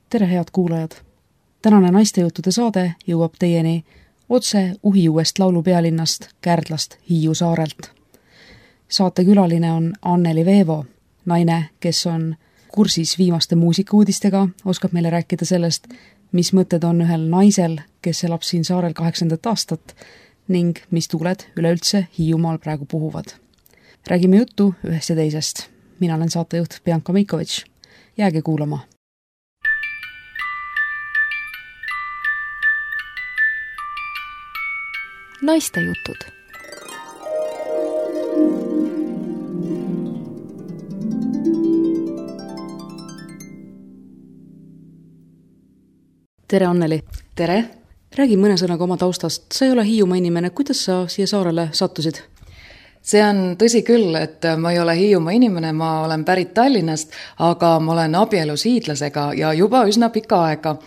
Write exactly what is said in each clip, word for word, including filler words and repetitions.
Tere, head kuulajad! Tänane naistejuttude saade jõuab teieni otse Uhiuuest laulu pealinnast Kärdlast Hiiu saarelt. Saate külaline on Anneli Veevo, naine, kes on kursis viimaste muusikauudistega, oskab meile rääkida sellest, mis mõtted on ühel naisel, kes elab siin saarel kaheksandat aastat ning mis tuuled üleüldse Hiiumaal praegu puhuvad. Räägime juttu ühest ja teisest. Mina olen saatejuht Bianca Meikovitš. Jääge kuulama! Naistejutud. Tere, Anneli! Tere! Räägi mõne sõnaga oma taustast. Sa ei ole Hiiumaa inimene. Kuidas sa siia saarele sattusid? See on tõsi küll, et ma ei ole Hiiumaa inimene, ma olen pärit Tallinnast, aga ma olen abielus hiidlasega ja juba üsna pika aega.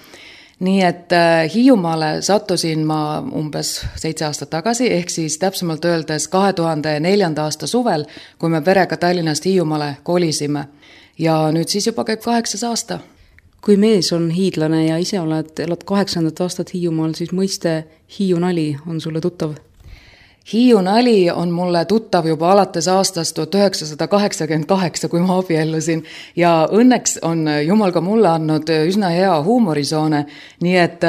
Nii et Hiiumaale sattusin ma umbes seitse aastat tagasi, ehk siis täpsemalt öeldes kahe tuhande neljanda aasta suvel, kui me perega Tallinnast Hiiumaale kolisime. Ja nüüd siis juba käib kaheksas aasta. Kui mees on hiidlane ja ise oled, elad kaheksandat aastat Hiiumaal, siis mõiste Hiiu nali on sulle tuttav? Hiiu nali on mulle tuttav juba alates aastast tuhat üheksasada kaheksakümmend kaheksa, kui ma abiellusin. Ja õnneks on Jumal ka mulle andnud üsna hea huumorisoone, nii et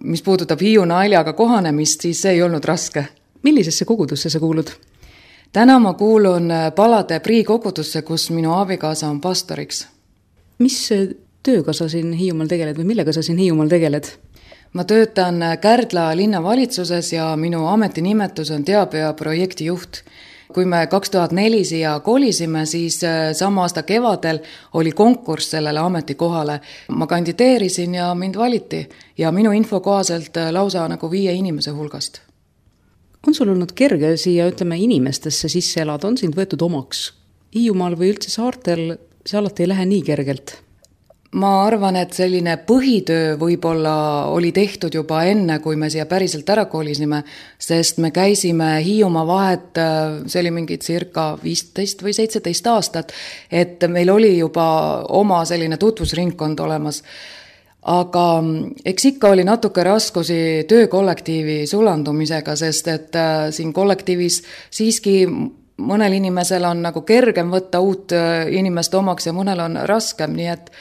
mis puudutab Hiiu naljaga kohanemist, siis see ei olnud raske. Millisesse kogudusse sa kuulud? Täna ma kuulun Palade Prii kogudusse, kus minu abikaasa on pastoriks. Mis tööga sa siin Hiiumaal tegeled või millega sa siin Hiiumaal tegeled? Ma töötan Kärdla linnavalitsuses ja minu ametinimetus on teabe- ja projektijuht. Kui me kaks tuhat neli siia kolisime, siis sama aasta kevadel oli konkurss sellele ametikohale. Ma kandideerisin ja mind valiti ja minu info kohaselt lausa nagu viie inimese hulgast. On sul olnud kerge siia, ütleme, inimestesse sisse elada? On sind võetud omaks? Hiiumaal või üldse saartel see alati ei lähe nii kergelt? Ma arvan, et selline põhitöö võib-olla oli tehtud juba enne, kui me siia päriselt ära kolisime, sest me käisime Hiiumaa vahet, see oli mingi circa viisteist või seitseteist aastat, et meil oli juba oma selline tutvusringkond olemas. Aga eks ikka oli natuke raskusi töökollektiivi sulandumisega, sest et siin kollektiivis siiski mõnel inimesel on nagu kergem võtta uut inimest omaks ja mõnel on raskem, nii et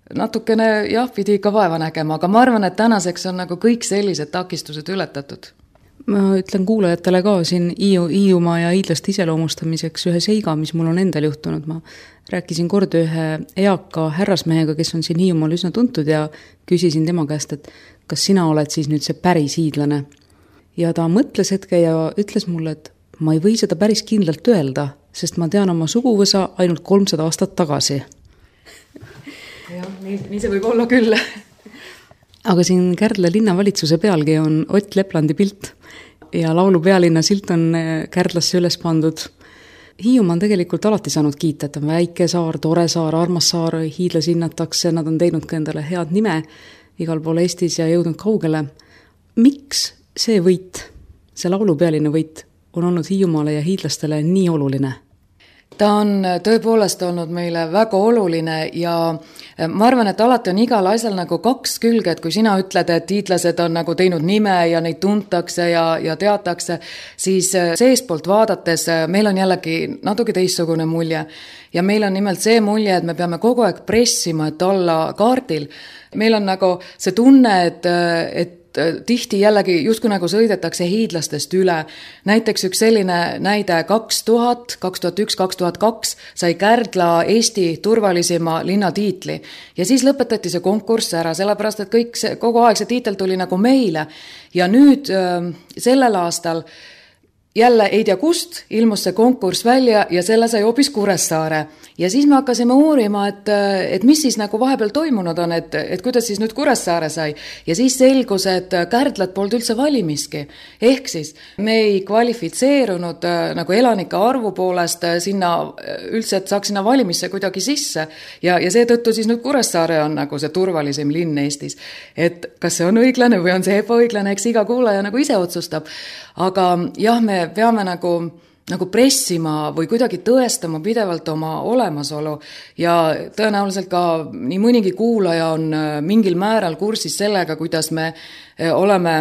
natukene jah, pidi ikka vaeva nägema, aga ma arvan, et tänaseks on nagu kõik sellised takistused ületatud. Ma ütlen kuulajatele ka siin Hiiu, Hiiumaa ja hiidlaste iseloomustamiseks ühe seiga, mis mul on endal juhtunud. Ma rääkisin kord ühe eaka härrasmehega, kes on siin Hiiumaal üsna tuntud ja küsisin tema käest, et kas sina oled siis nüüd see päris hiidlane. Ja ta mõtles hetke ja ütles mulle, et ma ei või seda päris kindlalt öelda, sest ma tean oma suguvõsa ainult kolmsada aastat tagasi. Jah, nii, nii see võib olla küll. Aga siin Kärdla linnavalitsuse pealgi on Ott Leplandi pilt ja laulu pealinna silt on Kärdlasse üles pandud. Hiiumaa on tegelikult alati saanud kiita, et on väike saar, tore saar, armas saar, hiidlasi hinnatakse, nad on teinud ka endale head nime igal pool Eestis ja jõudnud kaugele. Miks see võit, see laulu pealinna võit on olnud Hiiumaale ja hiidlastele nii oluline? Ta on tõepoolest olnud meile väga oluline ja ma arvan, et alati on igal asjal nagu kaks külge, et kui sina ütled, et hiidlased on nagu teinud nime ja neid tuntakse ja, ja teatakse, siis seespoolt vaadates meil on jällegi natuke teistsugune mulje. Ja meil on nimelt see mulje, et me peame kogu aeg pressima, et olla kaardil. Meil on nagu see tunne, et, et tihti jällegi justkui nagu sõidetakse hiidlastest üle. Näiteks üks selline näide kaks tuhat, kaks tuhat üks, kaks tuhat kaks sai Kärdla Eesti turvalisima linnatiitli. Ja siis lõpetati see konkurss ära, sellepärast, et kõik see, kogu aeg see tiitel tuli nagu meile. Ja nüüd sellel aastal jälle ei tea kust ilmus see konkurss välja ja selle sai hoopis Kuressaare. Ja siis me hakkasime uurima, et, et mis siis nagu vahepeal toimunud on, et, et kuidas siis nüüd Kuressaare sai. Ja siis selgus, et Kärdlat polnud üldse valimiski. Ehk siis me ei kvalifitseerunud nagu elanike arvu poolest sinna üldse, et saaks sinna valimisse kuidagi sisse. Ja, ja seetõttu siis nüüd Kuressaare on nagu see turvalisim linn Eestis. Et kas see on õiglane või on see ebaõiglane, eks iga kuulaja nagu ise otsustab. Aga jah, me peame nagu nagu pressima või kuidagi tõestama pidevalt oma olemasolu ja tõenäoliselt ka nii mõnigi kuulaja on mingil määral kursis sellega, kuidas me oleme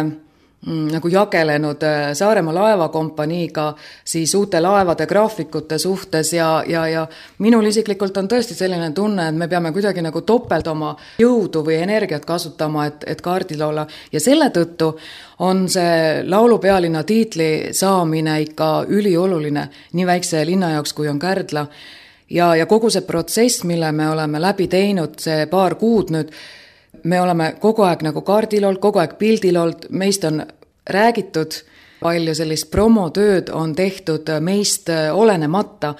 nagu jagelenud Saaremaa laevakompaniiga siis uute laevade graafikute suhtes ja, ja, ja minul isiklikult on tõesti selline tunne, et me peame kuidagi nagu topelt oma jõudu või energiat kasutama, et, et kaardil olla. Ja selle tõttu on see laulupealinna tiitli saamine ikka ülioluline nii väikse linna jaoks, kui on Kärdla. Ja, ja kogu see protsess, mille me oleme läbi teinud, see paar kuud nüüd, me oleme kogu aeg nagu kaardil olnud, kogu aeg pildil olnud, meist on räägitud, palju sellist promotööd on tehtud meist olenemata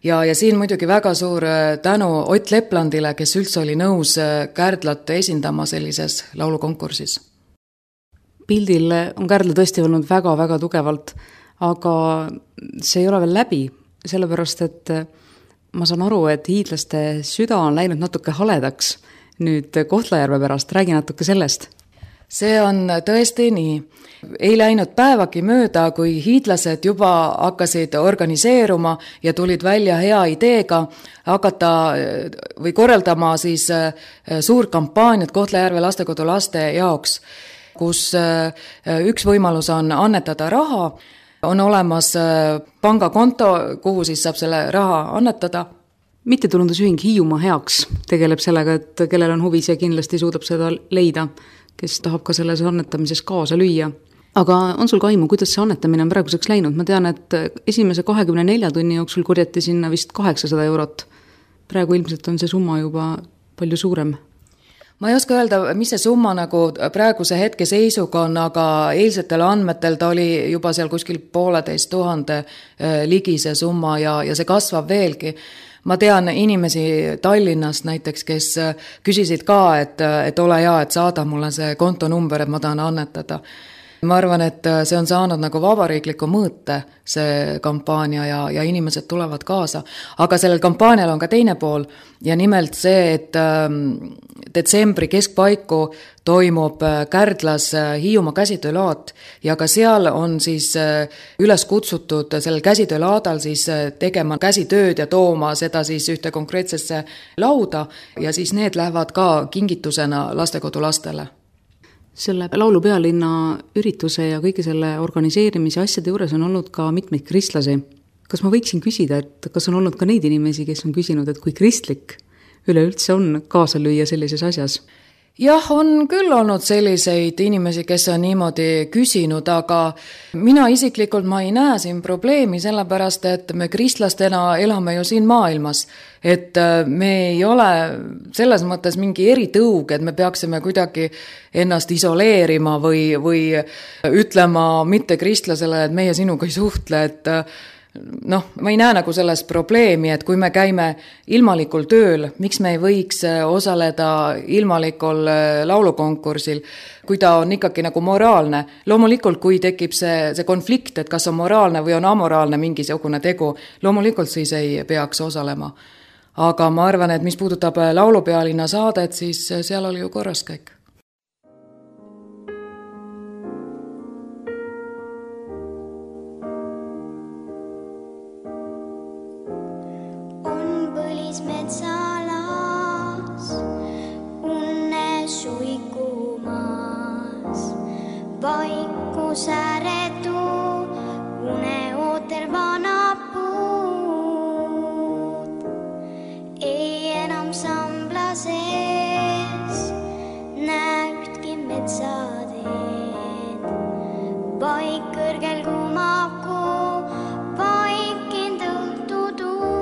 ja, ja siin muidugi väga suur tänu Ott Leplandile, kes üldse oli nõus Kärdlat esindama sellises laulukonkursis. Pildil on Kärdla tõesti olnud väga-väga tugevalt, aga see ei ole veel läbi, sellepärast et ma saan aru, et hiidlaste süda on läinud natuke haledaks nüüd Kohtla-Järve pärast, räägi natuke sellest. See on tõesti nii. Ei läinud päevagi mööda, kui hiidlased juba hakkasid organiseeruma ja tulid välja hea ideega hakata või korraldama siis suur kampaaniat Kohtla-Järve lastekodu laste jaoks, kus üks võimalus on annetada raha, on olemas pangakonto, kuhu siis saab selle raha annetada. Mittetulundusühing Hiiumaa heaks tegeleb sellega, et kellel on huvi, see kindlasti suudab seda leida, kes tahab ka selles annetamises kaasa lüüa. Aga on sul ka aimu, kuidas see annetamine on praeguseks läinud? Ma tean, et esimese kahekümne nelja tunni jooksul korjati sinna vist kaheksasada eurot. Praegu ilmselt on see summa juba palju suurem. Ma ei oska öelda, mis see summa nagu praeguse hetke seisuga on, aga eilsetel andmetel ta oli juba seal kuskil pooleteist tuhande ligi see summa ja, ja see kasvab veelgi. Ma tean inimesi Tallinnast näiteks, kes küsisid ka, et, et ole hea, et saada mulle see kontonumber, et ma tahan annetada. Ma arvan, et see on saanud nagu vabariikliku mõõte, see kampaania ja, ja inimesed tulevad kaasa. Aga sellel kampaanial on ka teine pool ja nimelt see, et detsembri keskpaiku toimub Kärdlas Hiiumaa käsitöölaat ja ka seal on siis üles kutsutud sellel käsitöölaadal siis tegema käsitööd ja tooma seda siis ühte konkreetsesse lauda ja siis need lähevad ka kingitusena lastekodu lastele. Selle laulupealinna ürituse ja kõige selle organiseerimise asjade juures on olnud ka mitmeid kristlasi. Kas ma võiksin küsida, et kas on olnud ka neid inimesi, kes on küsinud, et kui kristlik üleüldse on kaasa lüüa sellises asjas? Jah, on küll olnud selliseid inimesi, kes on niimoodi küsinud, aga mina isiklikult ma ei näe siin probleemi, sellepärast, et me kristlastena elame ju siin maailmas. Et me ei ole selles mõttes mingi eritõug, et me peaksime kuidagi ennast isoleerima või, või ütlema mitte kristlasele, et meie sinuga ei suhtle, et noh, ma ei näe nagu selles probleemi, et kui me käime ilmalikul tööl, miks me ei võiks osaleda ilmalikul laulukonkursil, kui ta on ikkagi nagu moraalne. Loomulikult, kui tekib see, see konflikt, et kas on moraalne või on amoraalne mingisugune tegu, loomulikult siis ei peaks osalema. Aga ma arvan, et mis puudutab laulupealinna saadet, siis seal oli ju korras kõik. Metsalas, unne suikumas, vaiku säretu, une ooter vana puud. Ei enam sambla sees, näe ühtki metsateed, vaik kõrgel kumaku, vaik indõhtu tuu.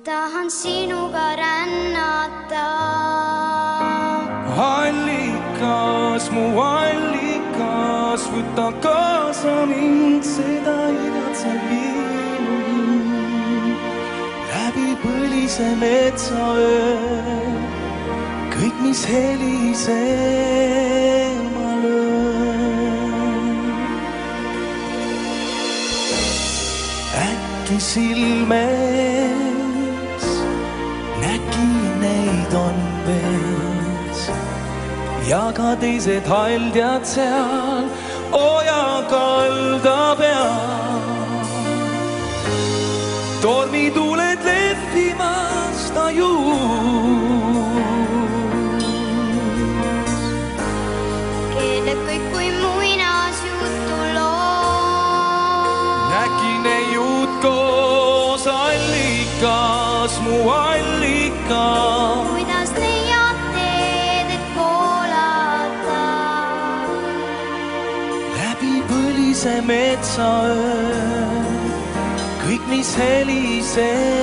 Tahan sinuga rännata. Allikas, mu allikas, võta kaasa mind, seda igatsen viinu. Läbi põlise metsaöö, kõik, mis helisema löön. Äkki silmes nägi neid on vees ja ka teised haldjad seal oja kalda peal. Tormituled lehvimas tajus. Keeleb kõik kui muinas jutu loo. Nägi neiud koos allikas, mu allikas. Kuidas leiad teed, et voolata? Läbi põlise metsaöö, kõik, mis helisema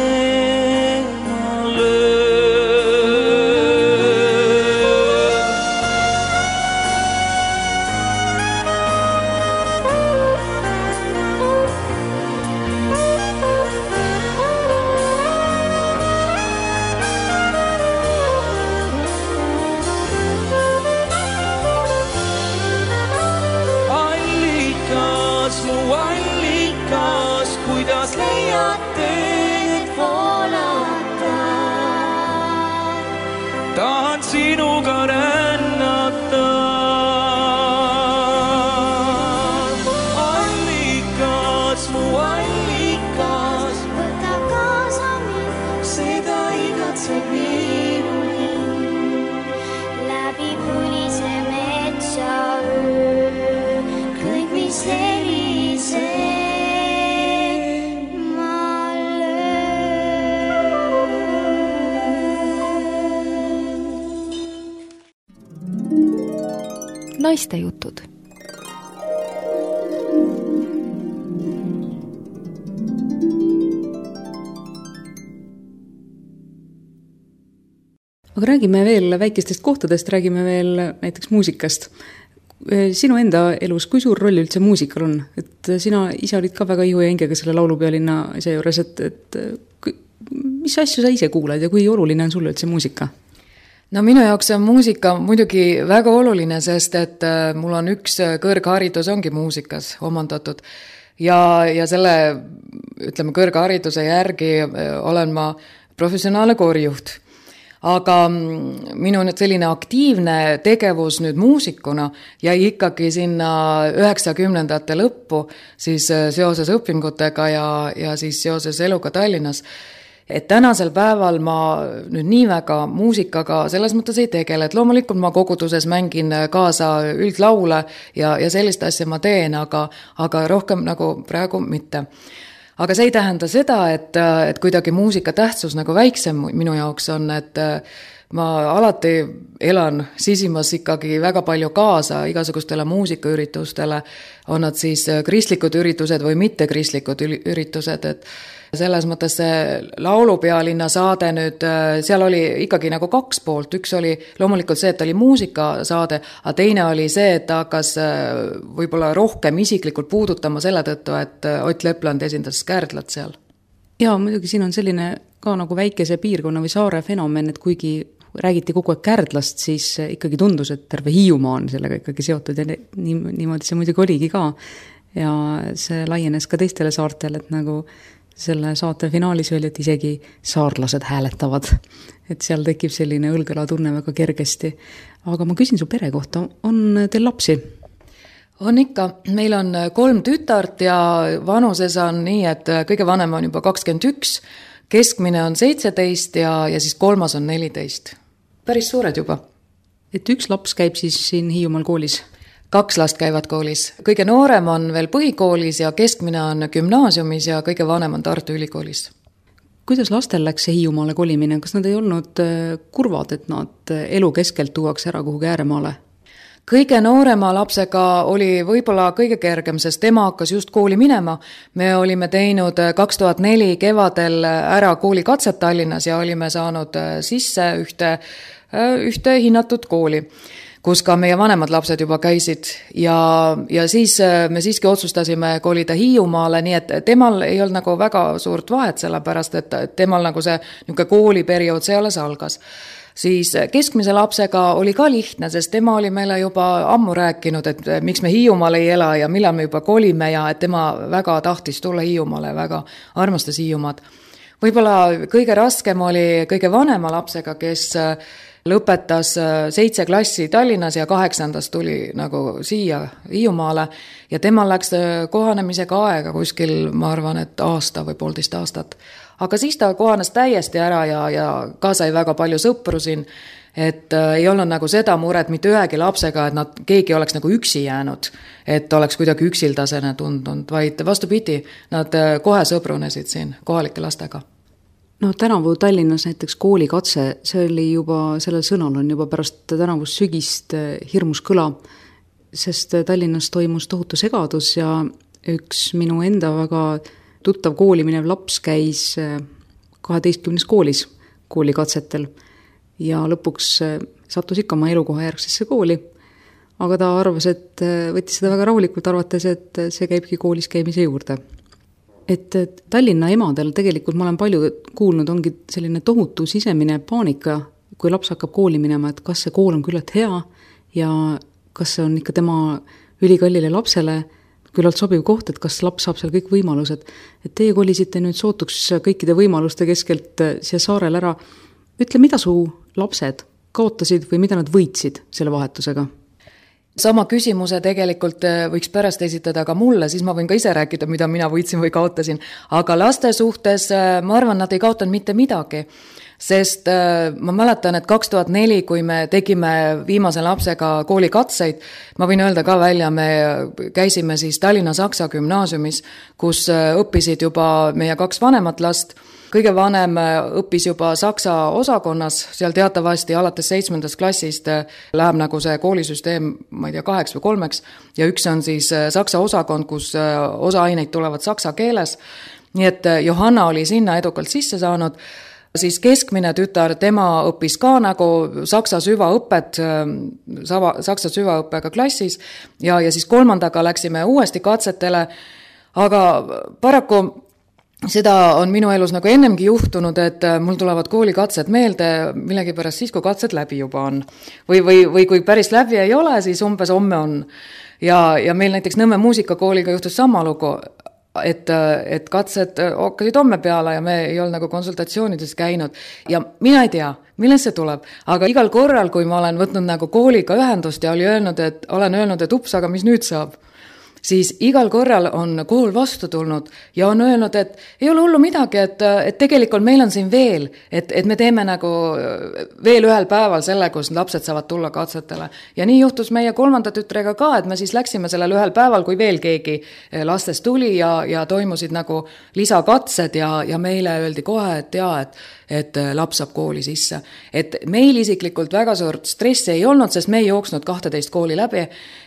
löö. Allikas, mu allikas, kuidas leiad teed voolata? Tahan sinuga rännata. Allikas, mu allikas, Võta kaasa mind, seda igatseb minu hing. läbi põlise metsaöö, kõik, mis helisema löön. Naistejutud. Aga räägime veel väikestest kohtadest, räägime veel näiteks muusikast. Sinu enda elus, kui suur roll üldse muusikal on? Et sina ise olid ka väga ihu ja hingega selle laulupealinna asja juures, et, et mis asju sa ise kuulad ja kui oluline on sulle üldse muusika? No minu jaoks on muusika muidugi väga oluline, sest et mul on üks kõrgharidus ongi muusikas omandatud ja, ja selle, ütleme, kõrghariduse järgi olen ma professionaalne koorijuht. Aga minu nüüd selline aktiivne tegevus nüüd muusikuna jäi ikkagi sinna üheksakümnendate lõppu siis seoses õpingutega ja, ja siis seoses eluga Tallinnas. Et tänasel päeval ma nüüd nii väga muusikaga selles mõttes ei tegele, et loomulikult ma koguduses mängin kaasa üldlaule ja, ja sellist asja ma teen, aga, aga rohkem nagu praegu mitte. Aga see ei tähenda seda, et, et kuidagi muusika tähtsus nagu väiksem minu jaoks on, et ma alati elan sisimas ikkagi väga palju kaasa igasugustele muusikaüritustele, on nad siis kristlikud üritused või mitte kristlikud üritused, et selles mõttes see laulupealinna saade nüüd, seal oli ikkagi nagu kaks poolt, üks oli loomulikult see, et oli muusikasaade, aga teine oli see, et ta hakkas võib-olla rohkem isiklikult puudutama selle tõttu, et Ott Lepland esindas Kärdlat seal. Jaa, muidugi siin on selline ka nagu väikese piirkonna või saare fenomen, et kuigi räägiti kogu aeg Kärdlast, siis ikkagi tundus, et terve Hiiumaa on sellega ikkagi seotud ja niimoodi see muidugi oligi ka. Ja see laienes ka teistele saartele, et nagu selle saate finaalis oli, et isegi saarlased hääletavad. Et seal tekib selline õlgõla tunne väga kergesti. Aga ma küsin su pere kohta, on teil lapsi? On ikka, meil on kolm tütart ja vanuses on nii, et kõige vanem on juba kakskümmend üks, keskmine on seitseteist ja, ja siis kolmas on neliteist. Päris suured juba. Et üks laps käib siis siin Hiiumaal koolis? Kaks last käivad koolis. Kõige noorem on veel põhikoolis ja keskmine on gümnaasiumis ja kõige vanem on Tartu Ülikoolis. Kuidas lastel läks see Hiiumaale kolimine? Kas nad ei olnud kurvad, et nad elu keskelt tuuaks ära kuhugi ääremaale? Kõige noorema lapsega oli võib-olla kõige kergem, sest tema hakkas just kooli minema. Me olime teinud kaks tuhat neli kevadel ära koolikatset Tallinnas ja olime saanud sisse ühte, ühte hinnatud kooli. kus ka meie vanemad lapsed juba käisid ja, ja siis me siiski otsustasime kolida Hiiumaale, nii et temal ei olnud nagu väga suurt vahet, sellepärast et temal nagu see niisugune kooliperiood see alles algas. Siis keskmise lapsega oli ka lihtne, sest tema oli meile juba ammu rääkinud, et miks me Hiiumaal ei ela ja millal me juba kolime ja et tema väga tahtis tulla Hiiumaale, väga armastas Hiiumaad. Võib-olla kõige raskem oli kõige vanema lapsega, kes lõpetas seitse klassi Tallinnas ja kaheksandas tuli nagu siia Hiiumaale ja temal läks kohanemisega aega kuskil, ma arvan, et aasta või poolteist aastat. Aga siis ta kohanes täiesti ära ja, ja ka sai väga palju sõpru siin, et äh, ei olnud nagu seda muret mitte ühegi lapsega, et nad, keegi oleks nagu üksi jäänud, et oleks kuidagi üksildasena tundunud, vaid vastupidi, nad äh, kohe sõbrunesid siin kohalike lastega. No tänavu Tallinnas näiteks koolikatse, see oli juba, sellel sõnal on juba pärast tänavust sügist hirmus kõla, sest Tallinnas toimus tohutu segadus ja üks minu enda väga tuttav kooli minev laps käis kaheteistkümnes koolis koolikatsetel ja lõpuks sattus ikka oma elukoha järgsesse kooli, aga ta arvas, et võttis seda väga rahulikult, arvates, et see käibki koolis käimise juurde. Et Tallinna emadel tegelikult ma olen palju kuulnud, ongi selline tohutu sisemine paanika, kui laps hakkab kooli minema, et kas see kool on küllalt hea ja kas see on ikka tema ülikallile lapsele küllalt sobiv koht, et kas laps saab seal kõik võimalused. Et teie kolisite nüüd sootuks kõikide võimaluste keskelt siia saarel ära. Ütle, mida su lapsed kaotasid või mida nad võitsid selle vahetusega? Sama küsimuse tegelikult võiks pärast esitada ka mulle, siis ma võin ka ise rääkida, mida mina võitsin või kaotasin. Aga laste suhtes ma arvan, nad ei kaotanud mitte midagi. Sest ma mäletan, et kaks tuhat neli, kui me tegime viimase lapsega koolikatseid, ma võin öelda ka välja, me käisime siis Tallinna Saksa gümnaasiumis, kus õppisid juba meie kaks vanemat last. Kõige vanem õppis juba Saksa osakonnas, seal teatavasti alates seitsmendast klassist läheb nagu see koolisüsteem, ma ei tea, kaheks või kolmeks, ja üks on siis Saksa osakond, kus osa aineid tulevad saksa keeles. Nii et Johanna oli sinna edukalt sisse saanud. Siis keskmine tütar, tema õppis ka nagu saksa süvaõpet, saksa süvaõppega klassis ja, ja siis kolmandaga läksime uuesti katsetele, aga paraku seda on minu elus nagu ennemgi juhtunud, et mul tulevad koolikatsed meelde millegipärast siis, kui katsed läbi juba on. Või, või, või kui päris läbi ei ole, siis umbes homme on. Ja, ja meil näiteks Nõmme muusikakooliga juhtus sama lugu, et, et katsed hakkasid homme peale ja me ei olnud nagu konsultatsioonides käinud. Ja mina ei tea, millest see tuleb, aga igal korral, kui ma olen võtnud nagu kooliga ühendust ja oli öelnud, et, olen öelnud, et ups, aga mis nüüd saab, siis igal korral on kool vastu tulnud ja on öelnud, et ei ole hullu midagi, et, et tegelikult meil on siin veel, et, et me teeme nagu veel ühel päeval selle, kus lapsed saavad tulla katsetele. Ja nii juhtus meie kolmanda tütrega ka, et me siis läksime sellel ühel päeval, kui veel keegi lastest tuli ja, ja toimusid nagu lisakatsed ja, ja meile öeldi kohe, et jaa, et et laps saab kooli sisse. Et meil isiklikult väga suurt stressi ei olnud, sest me ei jooksnud kahteteist kooli läbi,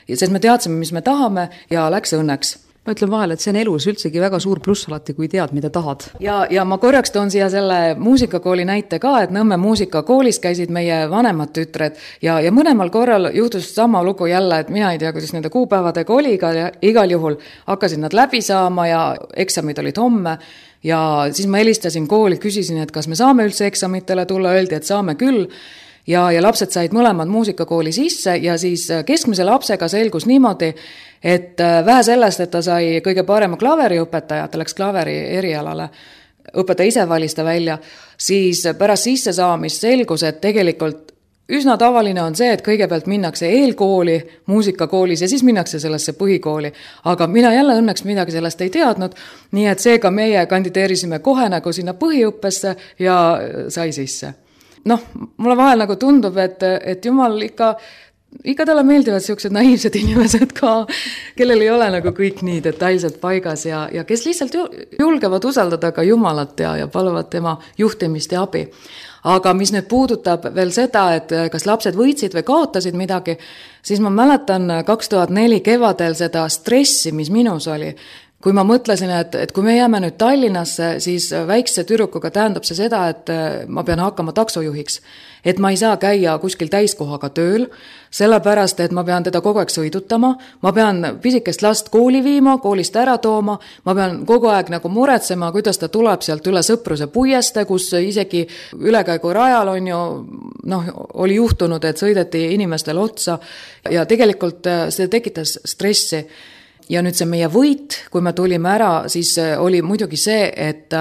sest me teadsime, mis me tahame ja läks õnneks. Ma ütlen vahel, et see on elus üldsegi väga suur pluss alati, kui tead, mida tahad. Ja, ja ma korraks toon siia selle muusikakooli näite ka, et Nõmme muusikakoolis käisid meie vanemad tütred ja, ja mõlemal korral juhtus sama lugu jälle, et mina ei tea, kuidas nende kuupäevadega oli, ja igal juhul hakkasid nad läbi saama ja eksamid olid homme. Ja siis ma helistasin kooli, küsisin, et kas me saame üldse eksamitele tulla, öeldi, et saame küll. Ja, ja lapsed said mõlemad muusikakooli sisse ja siis keskmise lapsega selgus niimoodi, et vähe sellest, et ta sai kõige parema klaveriõpetaja, ta läks klaveri erialale, õpetaja ise valis ta välja, siis pärast sisse saamist selgus, et tegelikult üsna tavaline on see, et kõigepealt minnakse eelkooli, muusikakoolis ja siis minnakse sellesse põhikooli. Aga mina jälle õnneks midagi sellest ei teadnud, nii et seega meie kandideerisime kohe nagu sinna põhiõppesse ja sai sisse. Noh, mulle vahel nagu tundub, et, et jumal ikka, ikka talle meeldivad sellised naiivsed inimesed ka, kellel ei ole nagu kõik nii detailselt paigas ja, ja kes lihtsalt julgevad usaldada ka Jumalat ja, ja paluvad tema juhtimist ja abi. Aga mis nüüd puudutab veel seda, et kas lapsed võitsid või kaotasid midagi, siis ma mäletan kaks tuhat neli kevadel seda stressi, mis minus oli, kui ma mõtlesin, et, et kui me jääme nüüd Tallinnasse, siis väikse tüdrukuga tähendab see seda, et ma pean hakkama taksojuhiks. Et ma ei saa käia kuskil täiskohaga tööl, sellepärast, et ma pean teda kogu aeg sõidutama, ma pean pisikest last kooli viima, koolist ära tooma, ma pean kogu aeg nagu muretsema, kuidas ta tuleb sealt üle Sõpruse puieste, kus isegi ülekäigu rajal on ju, noh, oli juhtunud, et sõideti inimestel otsa ja tegelikult see tekitas stressi. Ja nüüd see meie võit, kui me tulime ära, siis oli muidugi see, et,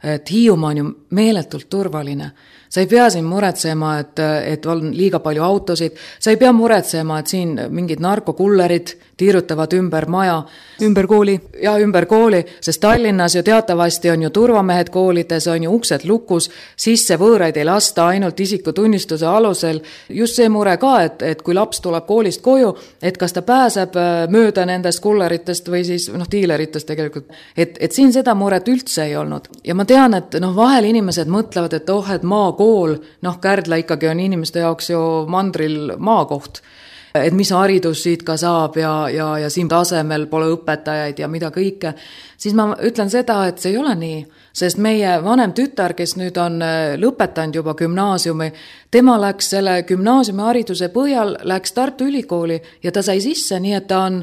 et Hiiumaa on ju meeletult turvaline. Sa ei pea siin muretsema, et, et on liiga palju autosid, sa ei pea muretsema, et siin mingid narkokullerid tiirutavad ümber maja. Ümber kooli. Ja ümber kooli, sest Tallinnas ju teatavasti on ju turvamehed koolides, on ju uksed lukus, sisse võõraid ei lasta ainult isikutunnistuse alusel. Just see mure ka, et, et kui laps tuleb koolist koju, et kas ta pääseb mööda nendest kulleritest või siis noh, diileritest tegelikult. Et, et siin seda muret üldse ei olnud. Ja ma tean, et noh, vahel inimesed mõtlevad, et oh, et maakool, noh, Kärdla ikkagi on inimeste jaoks ju mandril maakoht. Et mis haridus siit ka saab ja, ja, ja siin tasemel pole õpetajaid ja mida kõike, siis ma ütlen seda, et see ei ole nii, sest meie vanem tütar, kes nüüd on lõpetanud juba gümnaasiumi, tema läks selle gümnaasiumi hariduse põhjal, läks Tartu Ülikooli ja ta sai sisse, nii et ta on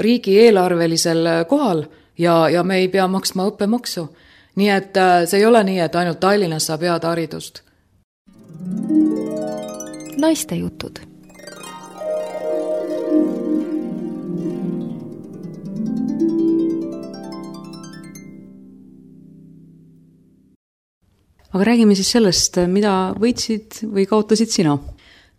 riigieelarvelisel kohal ja, ja me ei pea maksma õppemaksu. Nii et see ei ole nii, et ainult Tallinnas saab head haridust. Naiste jutud. Aga räägime siis sellest, mida võitsid või kaotasid sina?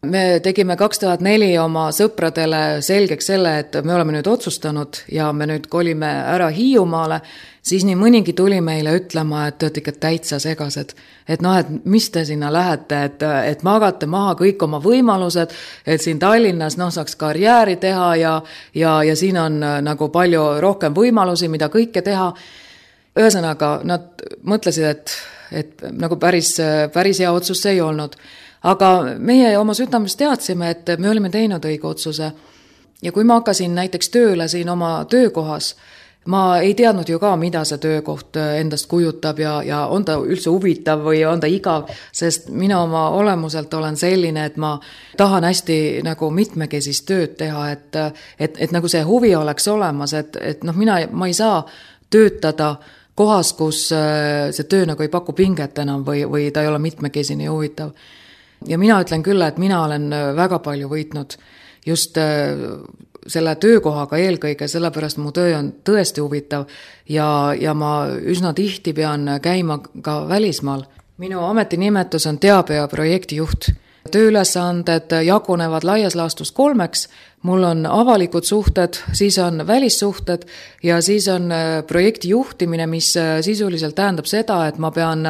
Me tegime kaks tuhat neli oma sõpradele selgeks selle, et me oleme nüüd otsustanud ja me nüüd kolime ära Hiiumaale, siis nii mõnigi tuli meile ütlema, et te olete ikka täitsa segased. Et noh, et mis te sinna lähete, et, et magate maha kõik oma võimalused, et siin Tallinnas noh, saaks karjääri teha ja, ja, ja siin on nagu palju rohkem võimalusi, mida kõike teha. Ühesõnaga, nad mõtlesid, et et nagu päris, päris hea otsus see ei olnud. Aga meie oma südames teadsime, et me olime teinud õige otsuse. Ja kui ma hakkasin näiteks tööle siin oma töökohas, ma ei teadnud ju ka, mida see töökoht endast kujutab ja, ja on ta üldse huvitav või on ta igav, sest mina oma olemuselt olen selline, et ma tahan hästi nagu mitmekesist tööd teha, et, et, et nagu see huvi oleks olemas, et, et noh, mina, ma ei saa töötada kohas, kus see töö nagu ei paku pinget enam või, või ta ei ole mitmekesine ja huvitav. Ja mina ütlen küll, et mina olen väga palju võitnud just selle töökohaga eelkõige, sellepärast mu töö on tõesti huvitav ja, ja ma üsna tihti pean käima ka välismaal. Minu ametinimetus on teabe- ja projektijuht. Tööülesanded jagunevad laias laastus kolmeks, mul on avalikud suhted, siis on välissuhted ja siis on projekti juhtimine, mis sisuliselt tähendab seda, et ma pean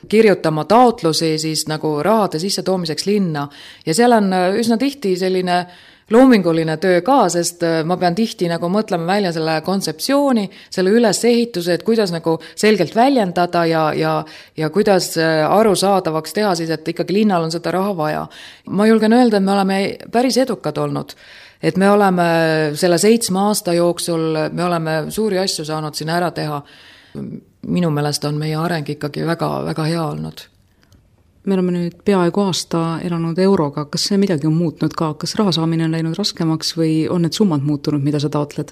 kirjutama taotlusi siis nagu rahade sisse toomiseks linna ja seal on üsna tihti selline loominguline töö ka, sest ma pean tihti nagu mõtlema välja selle kontseptsiooni, selle ülesehituse, et kuidas nagu selgelt väljendada ja, ja, ja kuidas arusaadavaks teha siis, et ikkagi linnal on seda raha vaja. Ma julgen öelda, et me oleme päris edukad olnud, et me oleme selle seitsme aasta jooksul, me oleme suuri asju saanud siin ära teha. Minu meelest on meie areng ikkagi väga, väga hea olnud. Me oleme nüüd peaaegu aasta elanud euroga, kas see midagi on muutnud ka, kas raha saamine on läinud raskemaks või on need summad muutunud, mida sa taotled?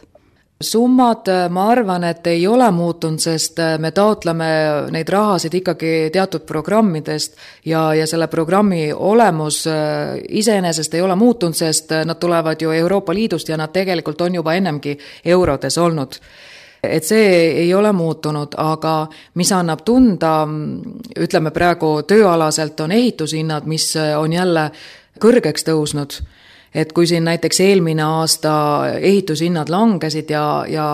Summad, ma arvan, et ei ole muutunud, sest me taotleme neid rahasid ikkagi teatud programmidest ja, ja selle programmi olemus iseenesest ei ole muutunud, sest nad tulevad ju Euroopa Liidust ja nad tegelikult on juba ennemgi eurodes olnud. Et see ei ole muutunud, aga mis annab tunda, ütleme praegu tööalaselt on ehitushinnad, mis on jälle kõrgeks tõusnud. Et kui siin näiteks eelmine aasta ehitushinnad langesid ja, ja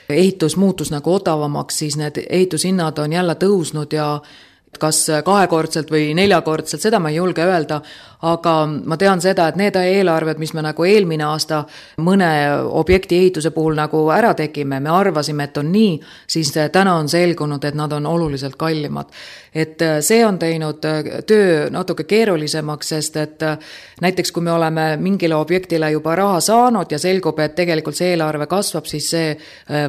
ehitus muutus nagu odavamaks, siis need ehitushinnad on jälle tõusnud ja kas kahekordselt või neljakordselt, seda ma ei julge öelda, aga ma tean seda, et need eelarved, mis me nagu eelmine aasta mõne objekti ehituse puhul nagu ära tegime, me arvasime, et on nii, siis täna on selgunud, et nad on oluliselt kallimad. Et see on teinud töö natuke keerulisemaks, sest et näiteks kui me oleme mingile objektile juba raha saanud ja selgub, et tegelikult see eelarve kasvab, siis see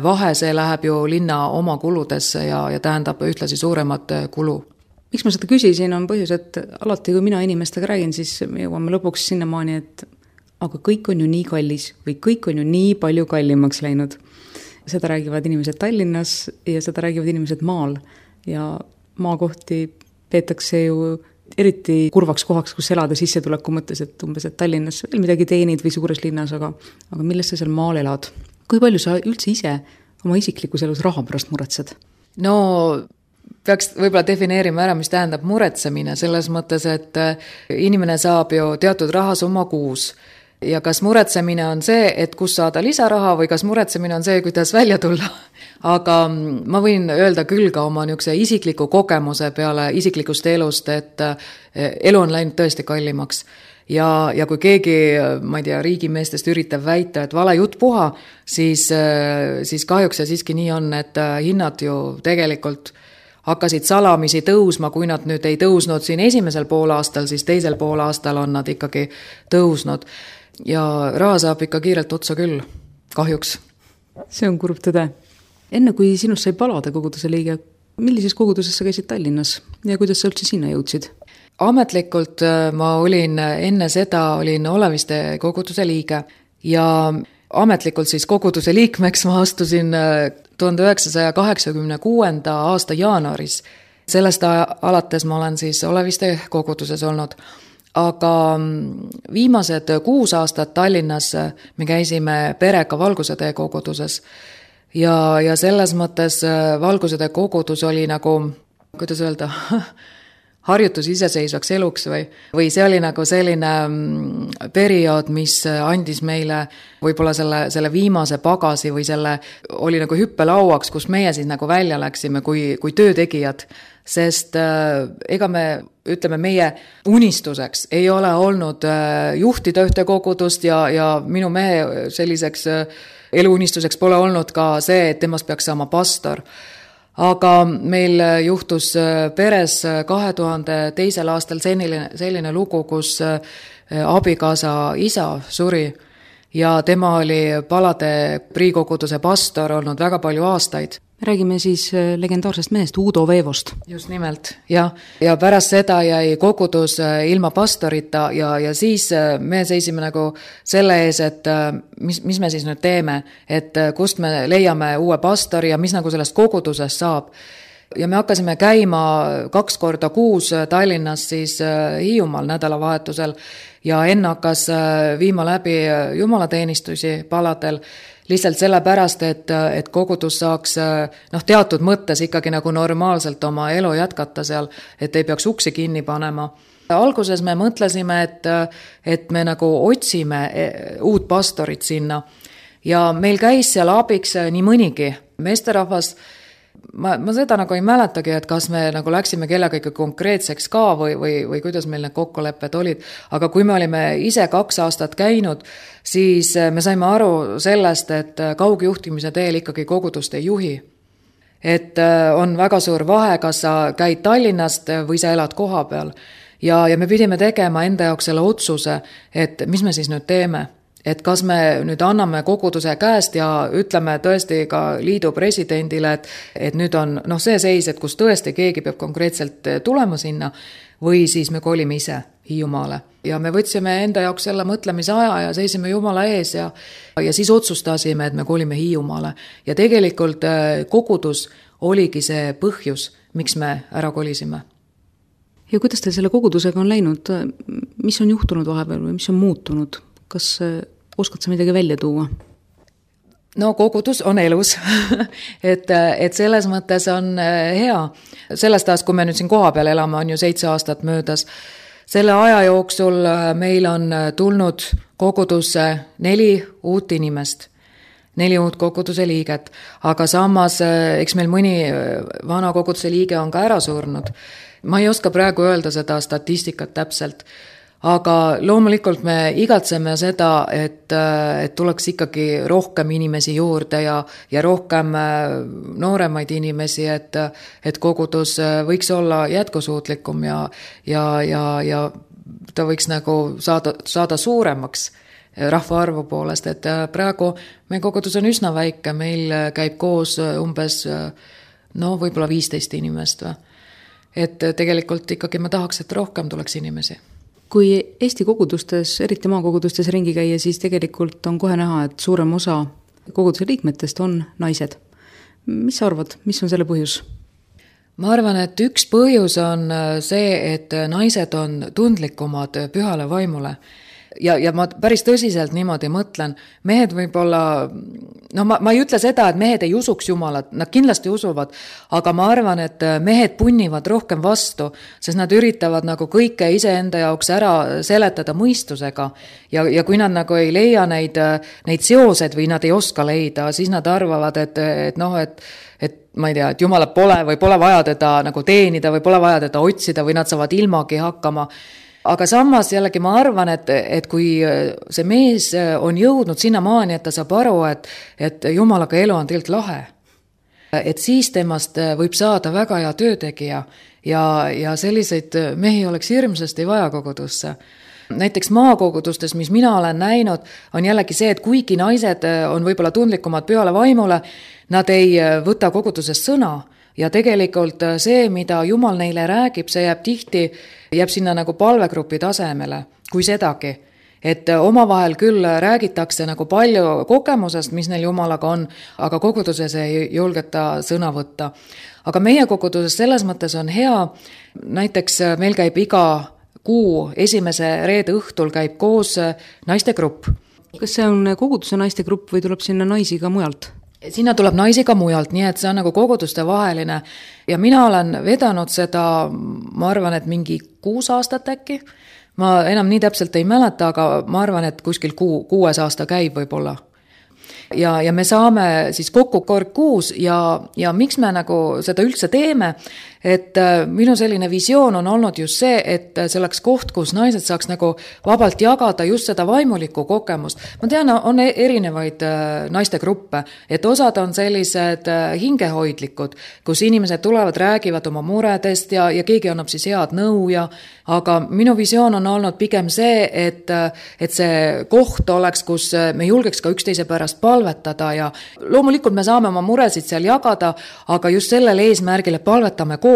vahe, see läheb ju linna oma kuludesse ja, ja tähendab ühtlasi suuremat kulu. Miks ma seda küsisin, on põhjus, et alati, kui mina inimestega räägin, siis me jõuame lõpuks sinnamaani, et aga kõik on ju nii kallis või kõik on ju nii palju kallimaks läinud. Seda räägivad inimesed Tallinnas ja seda räägivad inimesed maal. Ja maakohti peetakse ju eriti kurvaks kohaks, kus elada sissetuleku mõttes, et umbes, et Tallinnas veel midagi teenid või suures linnas, aga, aga millest sa seal maal elad? Kui palju sa üldse ise oma isiklikus elus raha pärast muretsed? No peaks võib-olla defineerima ära, mis tähendab muretsemine, selles mõttes, et inimene saab ju teatud rahasumma kuus. Ja kas muretsemine on see, et kus saada lisaraha või kas muretsemine on see, kuidas välja tulla. Aga ma võin öelda küll ka oma niisuguse isikliku kogemuse peale isiklikust elust, et elu on läinud tõesti kallimaks. Ja, ja kui keegi, ma ei tea, riigimeestest üritab väita, et vale jutt puha, siis, siis kahjuks see siiski nii on, et hinnad ju tegelikult hakkasid salamisi tõusma, kui nad nüüd ei tõusnud siin esimesel poolaastal, siis teisel poolaastal on nad ikkagi tõusnud. Ja raha saab ikka kiirelt otsa küll, kahjuks. See on kurb tõde. Enne kui sinust sai Palade koguduse liige, millises koguduses sa käisid Tallinnas ja kuidas sa üldse sinna jõudsid? Ametlikult ma olin enne seda, olin Oleviste koguduse liige ja ametlikult siis koguduse liikmeks ma astusin tuhande üheksasaja kaheksakümne kuuenda aasta jaanuaris. Sellest alates ma olen siis Oleviste koguduses olnud. Aga viimased kuus aastat Tallinnas me käisime perega Valgusetee koguduses. Ja, ja selles mõttes Valgusetee kogudus oli nagu, kuidas öelda, harjutus iseseisvaks eluks või, või see oli nagu selline periood, mis andis meile võib-olla selle, selle viimase pagasi või selle oli nagu hüppelauaks, kus meie siis nagu välja läksime kui, kui töötegijad, sest äh, ega me, ütleme, meie unistuseks ei ole olnud äh, juhtida ühte kogudust ja, ja minu mehe selliseks äh, eluunistuseks pole olnud ka see, et temast peaks saama pastor. Aga meil juhtus peres kahe tuhande teisel aastal selline, selline lugu, kus abikaasa isa suri ja tema oli Palade priikoguduse pastor olnud väga palju aastaid. Räägime siis legendaarsest mehest Uudo Veevost. Just nimelt, jah. Ja pärast seda jäi kogudus ilma pastorita ja, ja siis me seisime nagu selle ees, et mis, mis me siis nüüd teeme, et kust me leiame uue pastori ja mis nagu sellest kogudusest saab. Ja me hakkasime käima kaks korda kuus Tallinnas siis Hiiumaal nädalavahetusel ja enne hakkas viima läbi jumalateenistusi Paladel lihtsalt sellepärast, et, et kogudus saaks noh, teatud mõttes ikkagi nagu normaalselt oma elu jätkata seal, et ei peaks uksi kinni panema. Alguses me mõtlesime, et, et me nagu otsime uut pastorit sinna ja meil käis seal abiks nii mõnigi meesterahvas. Ma, ma seda nagu ei mäletagi, et kas me nagu läksime kellega ikka konkreetseks ka või, või, või kuidas meil need kokkulepped olid. Aga kui me olime ise kaks aastat käinud, siis me saime aru sellest, et kaugjuhtimise teel ikkagi kogudust ei juhi. Et on väga suur vahe, kas sa käid Tallinnast või sa elad koha peal. Ja, ja me pidime tegema enda jaoks selle otsuse, et mis me siis nüüd teeme. Et kas me nüüd anname koguduse käest ja ütleme tõesti ka liidu presidendile, et, et nüüd on noh, see seis, et kus tõesti keegi peab konkreetselt tulema sinna või siis me kolime ise Hiiumaale. Ja me võtsime enda jaoks selle mõtlemise aja ja seisime Jumala ees ja, ja siis otsustasime, et me kolime Hiiumaale. Ja tegelikult kogudus oligi see põhjus, miks me ära kolisime. Ja kuidas teil selle kogudusega on läinud? Mis on juhtunud vahepeal või mis on muutunud? Kas oskad sa midagi välja tuua? No kogudus on elus, et, et selles mõttes on hea. Sellest ajast, kui me nüüd siin koha peal elame, on ju seitse aastat möödas. Selle aja jooksul meil on tulnud kogudusse neli uut inimest, neli uut koguduse liiget, aga samas, eks meil mõni vana koguduse liige on ka ära surnud. Ma ei oska praegu öelda seda statistikat täpselt, aga loomulikult me igatseme seda, et, et tuleks ikkagi rohkem inimesi juurde ja, ja rohkem nooremaid inimesi, et, et kogudus võiks olla jätkusuutlikum ja, ja, ja, ja ta võiks nagu saada, saada suuremaks rahvaarvu poolest, et praegu meie kogudus on üsna väike, meil käib koos umbes no võib-olla viisteist inimest või. Et tegelikult ikkagi ma tahaks, et rohkem tuleks inimesi. Kui Eesti kogudustes, eriti maakogudustes ringi käia, siis tegelikult on kohe näha, et suurem osa koguduse liikmetest on naised. Mis sa arvad, mis on selle põhjus? Ma arvan, et üks põhjus on see, et naised on tundlikumad pühale vaimule. Ja, ja ma päris tõsiselt niimoodi mõtlen, mehed võib-olla, no ma, ma ei ütle seda, et mehed ei usuks Jumalat, nad kindlasti usuvad, aga ma arvan, et mehed punnivad rohkem vastu, sest nad üritavad nagu kõike iseenda jaoks ära seletada mõistusega ja, ja kui nad nagu ei leia neid, neid seosed või nad ei oska leida, siis nad arvavad, et, et noh, et et ma ei tea, et Jumalat pole või pole vaja teda nagu teenida või pole vaja teda otsida või nad saavad ilmagi hakkama. Aga samas jällegi ma arvan, et, et kui see mees on jõudnud sinna maani, et ta saab aru, et, et Jumalaga elu on tegelikult lahe, et siis temast võib saada väga hea töötegija ja, ja selliseid mehi oleks hirmsasti vaja kogudusse. Näiteks maakogudustes, mis mina olen näinud, on jällegi see, et kuigi naised on võib-olla tundlikumad pühale vaimule, nad ei võta kogudusest sõna. Ja tegelikult see, mida Jumal neile räägib, see jääb tihti, jääb sinna nagu palvegrupi tasemele, kui sedagi. Et omavahel küll räägitakse nagu palju kogemusest, mis neil Jumalaga on, aga koguduses ei julgeta sõna võtta. Aga meie koguduses selles mõttes on hea, näiteks meil käib iga kuu esimese reede õhtul käib koos naistegrupp. Kas see on koguduse naistegrupp või tuleb sinna naisi ka mujalt? Sinna tuleb naisi ka mujalt, nii et see on nagu koguduste vaheline ja mina olen vedanud seda, ma arvan, et mingi kuus aastat äkki. Ma enam nii täpselt ei mäleta, aga ma arvan, et kuskil kuu, kuues aasta käib võib-olla. Ja, ja me saame siis kokku kord kuus ja, ja miks me nagu seda üldse teeme, et minu selline visioon on olnud just see, et see oleks koht, kus naised saaks nagu vabalt jagada just seda vaimulikku kogemust. Ma tean, on erinevaid naistegruppe, et osad on sellised hingehoidlikud, kus inimesed tulevad, räägivad oma muredest ja, ja keegi annab siis head nõu ja aga minu visioon on olnud pigem see, et, et see koht oleks, kus me julgeks ka üksteise pärast palvetada ja loomulikult me saame oma muresid seal jagada, aga just sellele eesmärgile palvetame koos.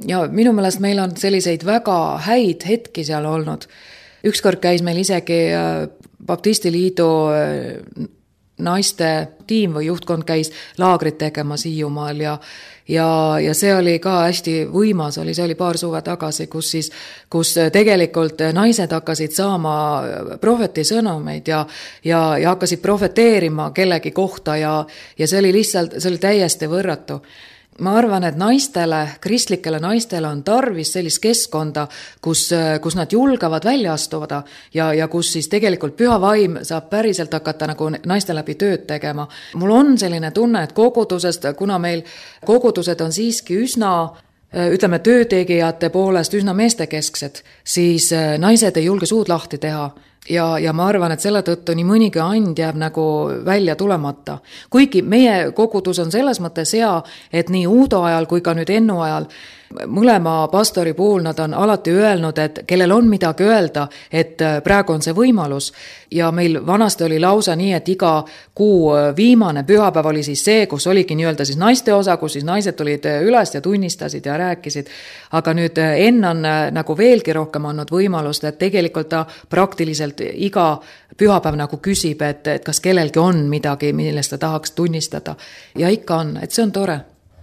Ja minu meelest meil on selliseid väga häid hetki seal olnud. Ükskord käis meil isegi Baptistiliidu naiste tiim või juhtkond käis laagrit tegema Hiiumaal ja, ja, ja see oli ka hästi võimas, oli, see oli paar suve tagasi, kus, siis, kus tegelikult naised hakkasid saama prohveti sõnumeid ja, ja, ja hakkasid profeteerima kellegi kohta ja, ja see oli lihtsalt, see oli täiesti võrratu. Ma arvan, et naistele, kristlikele naistele on tarvis sellist keskkonda, kus, kus nad julgavad välja astuda ja, ja kus siis tegelikult püha vaim saab päriselt hakata nagu naiste läbi tööd tegema. Mul on selline tunne, et kogudusest, kuna meil kogudused on siiski üsna, ütleme, töötegijate poolest üsna meestekesksed, siis naised ei julge suud lahti teha. Ja, ja ma arvan, et selle tõttu nii mõnigi and jääb nagu välja tulemata. Kuigi meie kogudus on selles mõttes hea, et nii Uudo ajal kui ka nüüd Ennu ajal mõlema pastori puhul nad on alati öelnud, et kellel on midagi öelda, et praegu on see võimalus. Ja meil vanasti oli lausa nii, et iga kuu viimane pühapäev oli siis see, kus oligi nii-öelda siis naiste osa, kus siis naised tulid üles ja tunnistasid ja rääkisid. Aga nüüd Enn on nagu veelgi rohkem andnud võimalust, et tegelikult ta praktiliselt iga pühapäev nagu küsib, et, et kas kellelgi on midagi, millest ta tahaks tunnistada. Ja ikka on, et see on tore.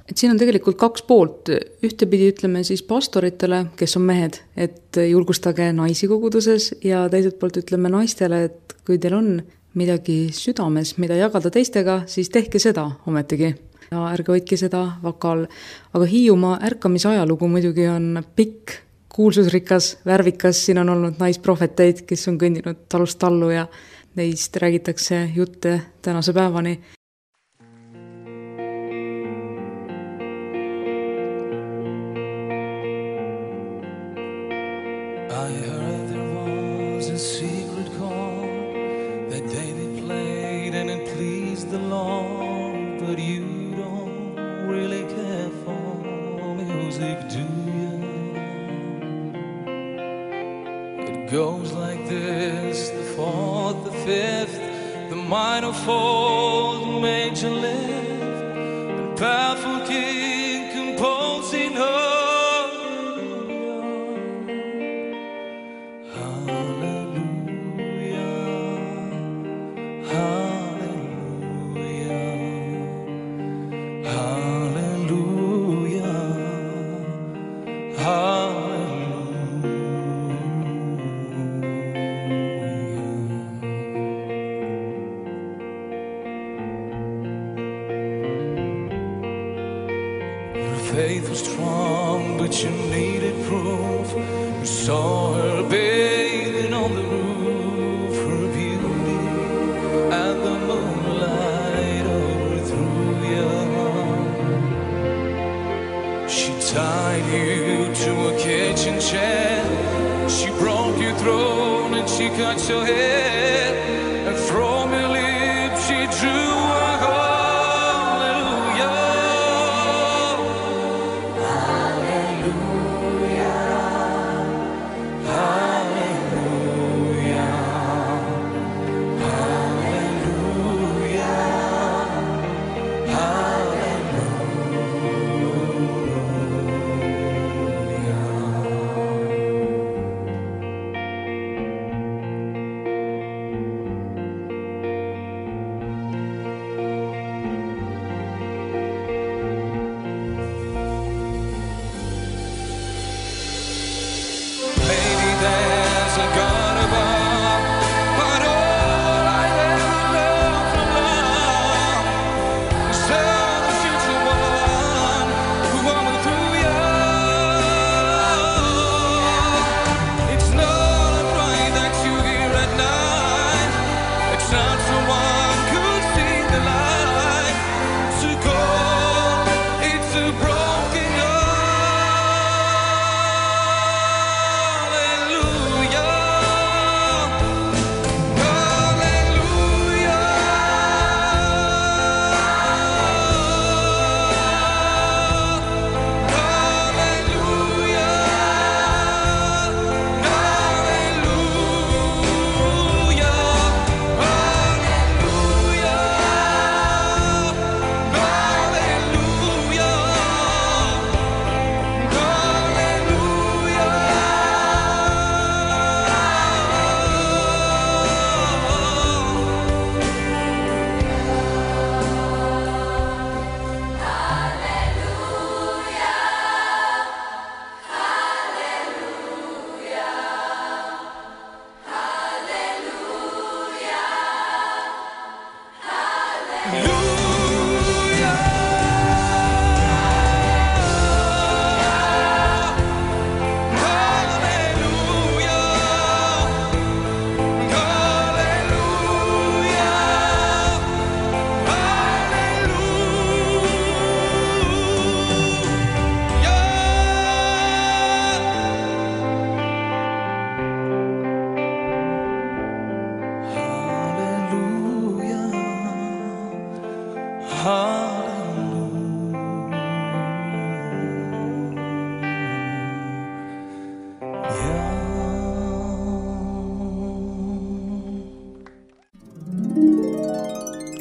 Et siin on tegelikult kaks poolt. Ühtepidi ütleme siis pastoritele, kes on mehed, et julgustage naisi koguduses ja teiselt poolt ütleme naistele, et kui teil on midagi südames, mida jagada teistega, siis tehke seda ometigi. Ja ärge hoidke seda vakal. Aga Hiiumaa ärkamise ajalugu muidugi on pikk, kuulsusrikas, värvikas. Siin on olnud naisprofeteid, kes on kõndinud talust tallu ja neist räägitakse jutte tänase päevani. I heard the praise the Lord, but you don't really care for music, do you? It goes like this, the fourth, the fifth, the minor fall, the major lift, the powerful king composing hallelujah, hallelujah, hallelujah, hallelujah, hallelujah. Faith was strong, but you needed proof. You saw her bathing on the roof, her beauty and the moonlight overthrew you. She tied you to a kitchen chair, she broke your throne and she cut your hair, and from your lips she drew a hallelujah.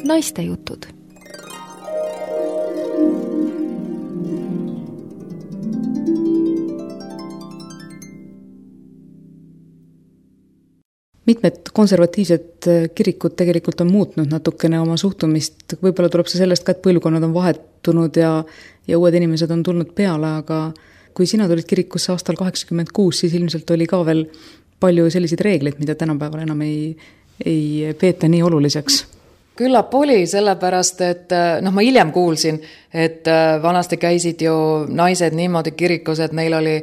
Naistejutud. Mitmed konservatiivsed kirikud tegelikult on muutnud natukene oma suhtumist. Võib-olla tuleb see sellest ka, et põlvkonnad on vahetunud ja, ja uued inimesed on tulnud peale, aga kui sina tulid kirikusse aastal kaheksakümmend kuus, siis ilmselt oli ka veel palju selliseid reegleid, mida tänapäeval enam ei, ei peeta nii oluliseks. Küllap oli sellepärast, et noh, ma hiljem kuulsin, et vanasti käisid ju naised niimoodi kirikus, et neil oli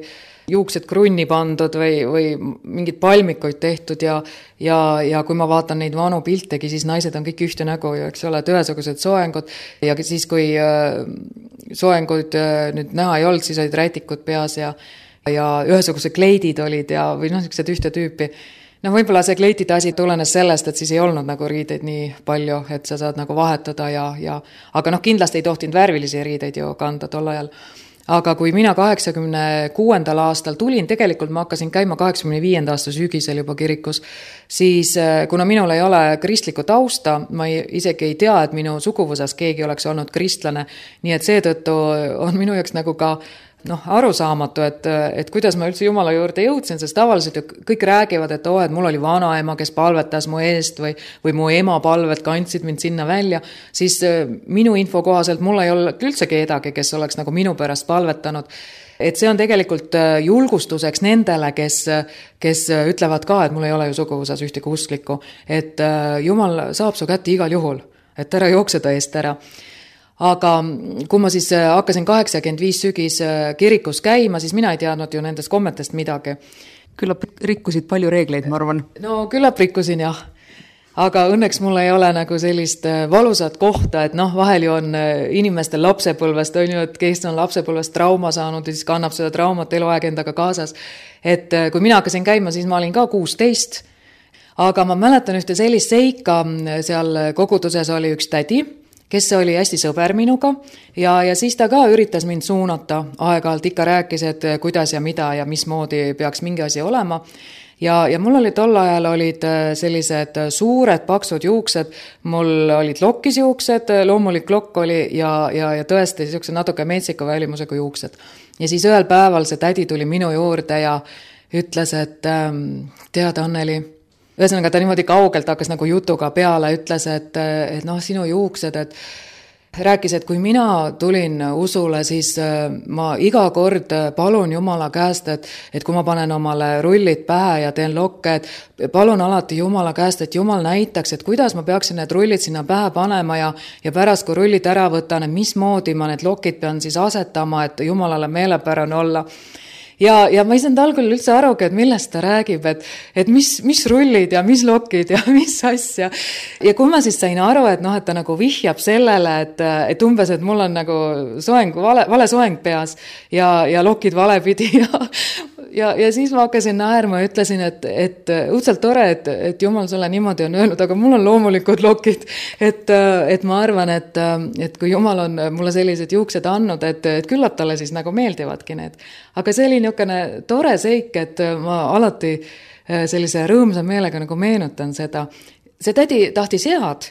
juuksed krunni pandud või, või mingid palmikuid tehtud ja, ja, ja kui ma vaatan neid vanu piltegi, siis naised on kõik ühte nägu ju, eks ole, et ühesugused soengud ja siis, kui soenguid nüüd näha ei olnud, siis olid rätikud peas ja, ja ühesugused kleidid olid ja, või noh, niisugused ühte tüüpi. no võib-olla see kleitide asi tulenes sellest, et siis ei olnud nagu riideid nii palju, et sa saad nagu vahetada ja, ja aga noh, kindlasti ei tohtinud värvilisi riideid ju kanda tol ajal. Aga kui mina kaheksakümne kuuendal aastal tulin, tegelikult ma hakkasin käima kaheksakümne viienda aasta sügisel juba kirikus, siis kuna minul ei ole kristlikku tausta, ma ei, isegi ei tea, et minu suguvõsas keegi oleks olnud kristlane, nii et seetõttu on minu jaoks nagu ka noh, arusaamatu, et, et kuidas ma üldse Jumala juurde jõudsin, sest tavaliselt ju kõik räägivad, et oo, et mul oli vanaema, kes palvetas mu eest või, või mu ema palved kandsid mind sinna välja, siis minu info kohaselt mul ei ole üldse kedagi, kes oleks nagu minu pärast palvetanud. Et see on tegelikult julgustuseks nendele, kes, kes ütlevad ka, et mul ei ole ju suguvõsas ühtegi usklikku, et Jumal saab su kätte igal juhul, et ära jookse ta eest ära. Aga kui ma siis hakkasin kaheksakümmend viis sügis kirikus käima, siis mina ei teadnud ju nendest kommetest midagi. Küllap rikkusid palju reegleid, ma arvan. No küllap rikkusin, jah. Aga õnneks mul ei ole nagu sellist valusat kohta, et noh, vahel ju on inimestel lapsepõlvest, on ju, et kes on lapsepõlvest trauma saanud ja siis kannab seda traumat eluaeg endaga kaasas. Et kui mina hakkasin käima, siis ma olin ka kuusteist. Aga ma mäletan ühte sellist seika, seal koguduses oli üks tädi, kes oli hästi sõber minuga ja, ja siis ta ka üritas mind suunata aeg-ajalt, ikka rääkis, et kuidas ja mida ja mismoodi peaks mingi asi olema. Ja, ja mul oli tol ajal olid sellised suured paksud juuksed, mul olid lokkisjuuksed, loomulik lokk oli ja, ja, ja tõesti selline natuke metsika välimusega juuksed. Ja siis ühel päeval see tädi tuli minu juurde ja ütles, et tead, Anneli, ühesõnaga ta niimoodi kaugelt hakkas nagu jutuga peale, ütles, et, et noh, sinu juuksed, et rääkis, et kui mina tulin usule, siis ma iga kord palun Jumala käest, et, et kui ma panen omale rullid pähe ja teen lokke, et palun alati Jumala käest, et Jumal näitaks, et kuidas ma peaksin need rullid sinna pähe panema ja, ja pärast, kui rullid ära võtan, et mismoodi ma need lokid pean siis asetama, et Jumalale meelepärane olla. Ja, ja ma ei saanud algul üldse arugi, et millest ta räägib, et, et mis, mis rullid ja mis lokid ja mis asja. Ja kui ma siis sain aru, et noh, et ta nagu vihjab sellele, et, et umbes, et mul on nagu soeng, vale, vale soeng peas ja, ja lokid valepidi ja, ja, ja siis ma hakkasin naerma ja ütlesin, et, et õudselt tore, et, et Jumal sulle niimoodi on öelnud, aga mul on loomulikud lokid, et, et ma arvan, et, et kui Jumal on mulle sellised juuksed andnud, et, et küllap talle siis nagu meeldivadki need. Aga see oli niisugune tore seik, et ma alati sellise rõõmsa meelega nagu meenutan seda. See tädi tahtis head.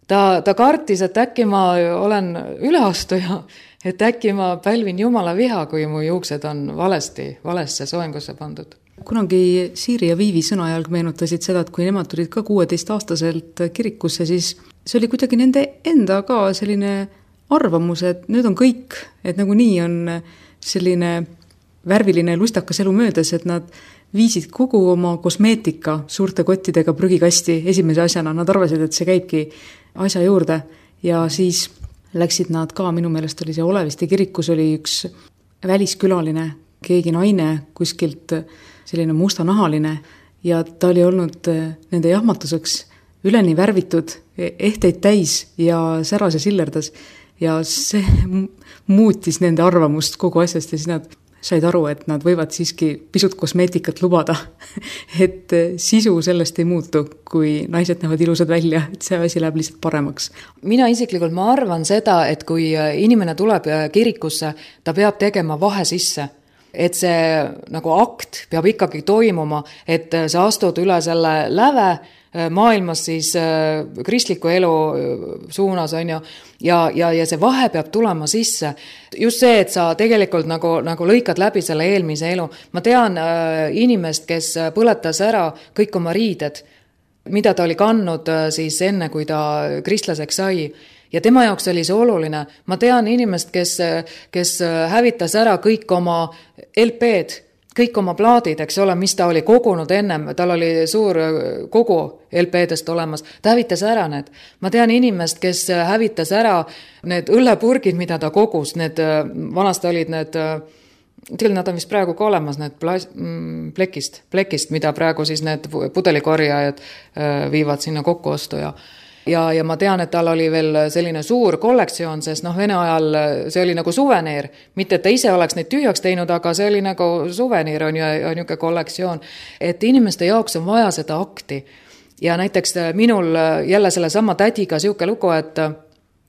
Ta, ta kartis, et äkki ma olen üleastuja, et äkki ma pälvin Jumala viha, kui mu juuksed on valesti, valesse soengusse pandud. Kunagi Siiri ja Viivi sõnajalg meenutasid seda, et kui nemad tulid ka kuueteistaastaselt kirikusse, siis see oli kuidagi nende enda ka selline arvamus, et nüüd on kõik, et nagu nii on selline värviline lustakas elu möödas, et nad viisid kogu oma kosmeetika suurte kottidega prügikasti esimese asjana. Nad arvasid, et see käibki asja juurde ja siis läksid nad ka, minu meelest oli see Oleviste kirikus oli üks väliskülaline, keegi naine kuskilt selline mustanahaline ja ta oli olnud nende jahmatuseks üleni värvitud, ehteid täis ja säras ja sillerdas ja see muutis nende arvamust kogu asjast ja siis nad said aru, et nad võivad siiski pisut kosmeetikat lubada, et sisu sellest ei muutu, kui naised näevad ilusad välja, et see asi läheb lihtsalt paremaks. Mina isiklikult ma arvan seda, et kui inimene tuleb kirikusse, ta peab tegema vahe sisse, et see nagu akt peab ikkagi toimuma, et sa astud üle selle läve maailmas siis kristliku elu suunas on ju, ja, ja, ja see vahe peab tulema sisse. Just see, et sa tegelikult nagu, nagu lõikad läbi selle eelmise elu. Ma tean äh, inimest, kes põletas ära kõik oma riided, mida ta oli kandnud äh, siis enne, kui ta kristlaseks sai. Ja tema jaoks oli see oluline. Ma tean inimest, kes, kes hävitas ära kõik oma L P-d, kõik oma plaadid, eks ole, mis ta oli kogunud ennem, tal oli suur kogu L P-dest olemas, ta hävitas ära need. Ma tean inimest, kes hävitas ära need õllepurgid, mida ta kogus, need vanasti olid need, tegelikult nad on vist praegu ka olemas, need plas, plekist, plekist, mida praegu siis need pudelikorjajad viivad sinna kokkuostu ja ja, ja ma tean, et tal oli veel selline suur kollektsioon, sest noh, Vene ajal see oli nagu suveneer, mitte et ta ise oleks neid tühjaks teinud, aga see oli nagu suveneer on ju, ja niisugune kollektsioon, et inimeste jaoks on vaja seda akti. Ja näiteks minul jälle selle sama tädiga siuke lugu, et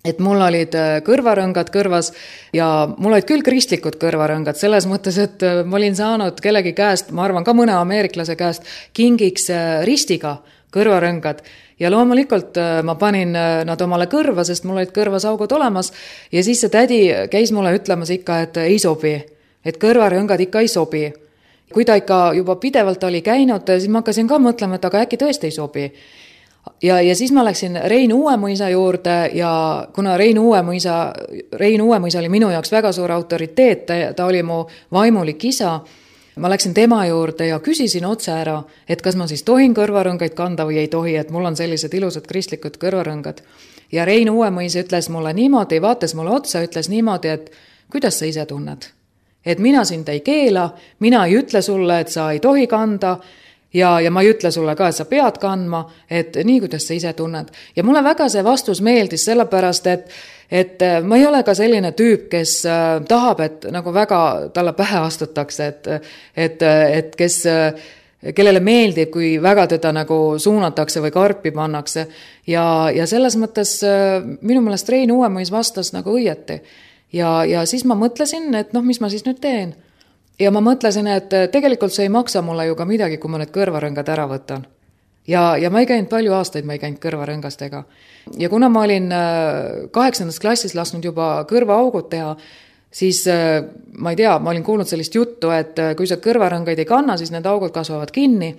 et mul olid kõrvarõngad kõrvas ja mul olid küll kristlikud kõrvarõngad selles mõttes, et ma olin saanud kellegi käest, ma arvan ka mõne ameeriklase käest, kingiks ristiga kõrvarõngad ja loomulikult ma panin nad omale kõrva, sest mul olid kõrvas augud olemas ja siis see tädi käis mulle ütlemas ikka, et ei sobi, et kõrvarõngad ikka ei sobi. Kui ta ikka juba pidevalt oli käinud, siis ma hakkasin ka mõtlema, et aga äkki tõesti ei sobi. Ja, ja siis ma läksin Rein Uuemõisa juurde ja kuna Rein Uuemõisa, Rein Uuemõisa oli minu jaoks väga suur autoriteet, ta, ta oli mu vaimulik isa, ma läksin tema juurde ja küsisin otse ära, et kas ma siis tohin kõrvarõngaid kanda või ei tohi, et mul on sellised ilusad kristlikud kõrvarõngad. Ja Rein Uuemõis ütles mulle niimoodi, vaatas mulle otsa, ütles niimoodi, et kuidas sa ise tunned? Et mina sind ei keela, mina ei ütle sulle, et sa ei tohi kanda, Ja, ja ma ei ütle sulle ka, et sa pead kandma, et nii, kuidas sa ise tunned. Ja mulle väga see vastus meeldis sellepärast, et, et ma ei ole ka selline tüüp, kes tahab, et nagu väga talle pähe astutakse, et, et, et kes, kellele meeldib, kui väga teda nagu suunatakse või karpi pannakse. Ja, ja selles mõttes minu meelest Rein Uuemõis vastas nagu õieti. Ja, ja siis ma mõtlesin, et noh, mis ma siis nüüd teen. Ja ma mõtlesin, et tegelikult see ei maksa mulle ju ka midagi, kui ma need kõrvarõngad ära võtan. Ja, ja ma ei käinud palju aastaid, ma ei käinud kõrvarõngastega. Ja kuna ma olin kaheksandas klassis lasknud juba kõrvaaugud teha, siis ma ei tea, ma olin kuulnud sellist juttu, et kui sa kõrvarõngaid ei kanna, siis need augud kasvavad kinni.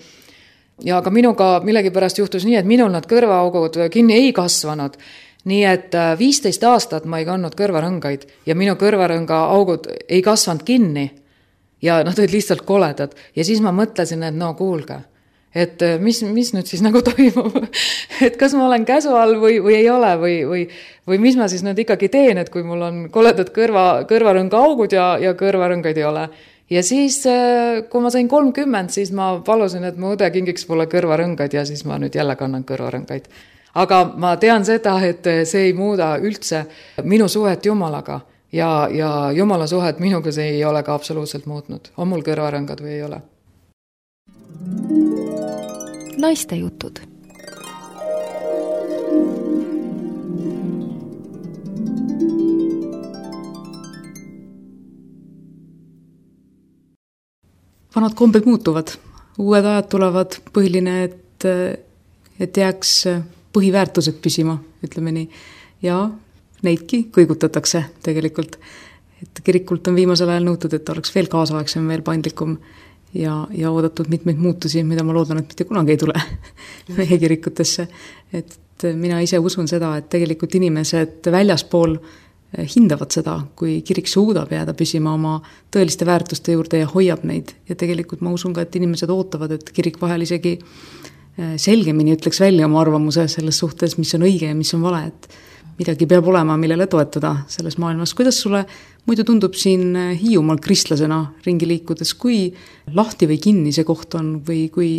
Ja ka minuga millegipärast juhtus nii, et minul nad kõrvaaugud kinni ei kasvanud. Nii et viisteist aastat ma ei kandnud kõrvarõngaid ja minu kõrvarõnga augud ei kasvanud kinni. Ja nad olid lihtsalt koledad. Ja siis ma mõtlesin, et no kuulge, et mis, mis nüüd siis nagu toimub, et kas ma olen käsu all või, või ei ole või, või, või mis ma siis nüüd ikkagi teen, et kui mul on koledad kõrva, kõrvarõnga augud ja, ja kõrvarõngaid ei ole. Ja siis, kui ma sain kolmkümmend, siis ma palusin, et mu õde kingiks mulle kõrvarõngad ja siis ma nüüd jälle kannan kõrvarõngaid. Aga ma tean seda, et see ei muuda üldse minu suhet Jumalaga. Ja, ja Jumala suhet minuga see ei ole ka absoluutselt muutnud. On mul kõrvarõngad või ei ole? Naiste jutud. Vanad kombed muutuvad. Uued ajad tulevad, põhiline, et, et jääks põhiväärtused püsima, ütleme nii. Ja neidki kõigutatakse tegelikult. Et kirikult on viimasel ajal nõutud, et oleks veel kaasaegsem, veel paindlikum ja, ja oodatud mitmeid muutusi, mida ma loodan, et mitte kunagi ei tule meie kirikutesse. Et mina ise usun seda, et tegelikult inimesed väljaspool hindavad seda, kui kirik suudab jääda püsima oma tõeliste väärtuste juurde ja hoiab neid. Ja tegelikult ma usun ka, et inimesed ootavad, et kirik vahel isegi selgemini ütleks välja oma arvamuse selles suhtes, mis on õige ja mis on vale, et midagi peab olema, millele toetada selles maailmas. Kuidas sulle muidu tundub siin Hiiumaal kristlasena ringi liikudes, kui lahti või kinni see koht on või kui,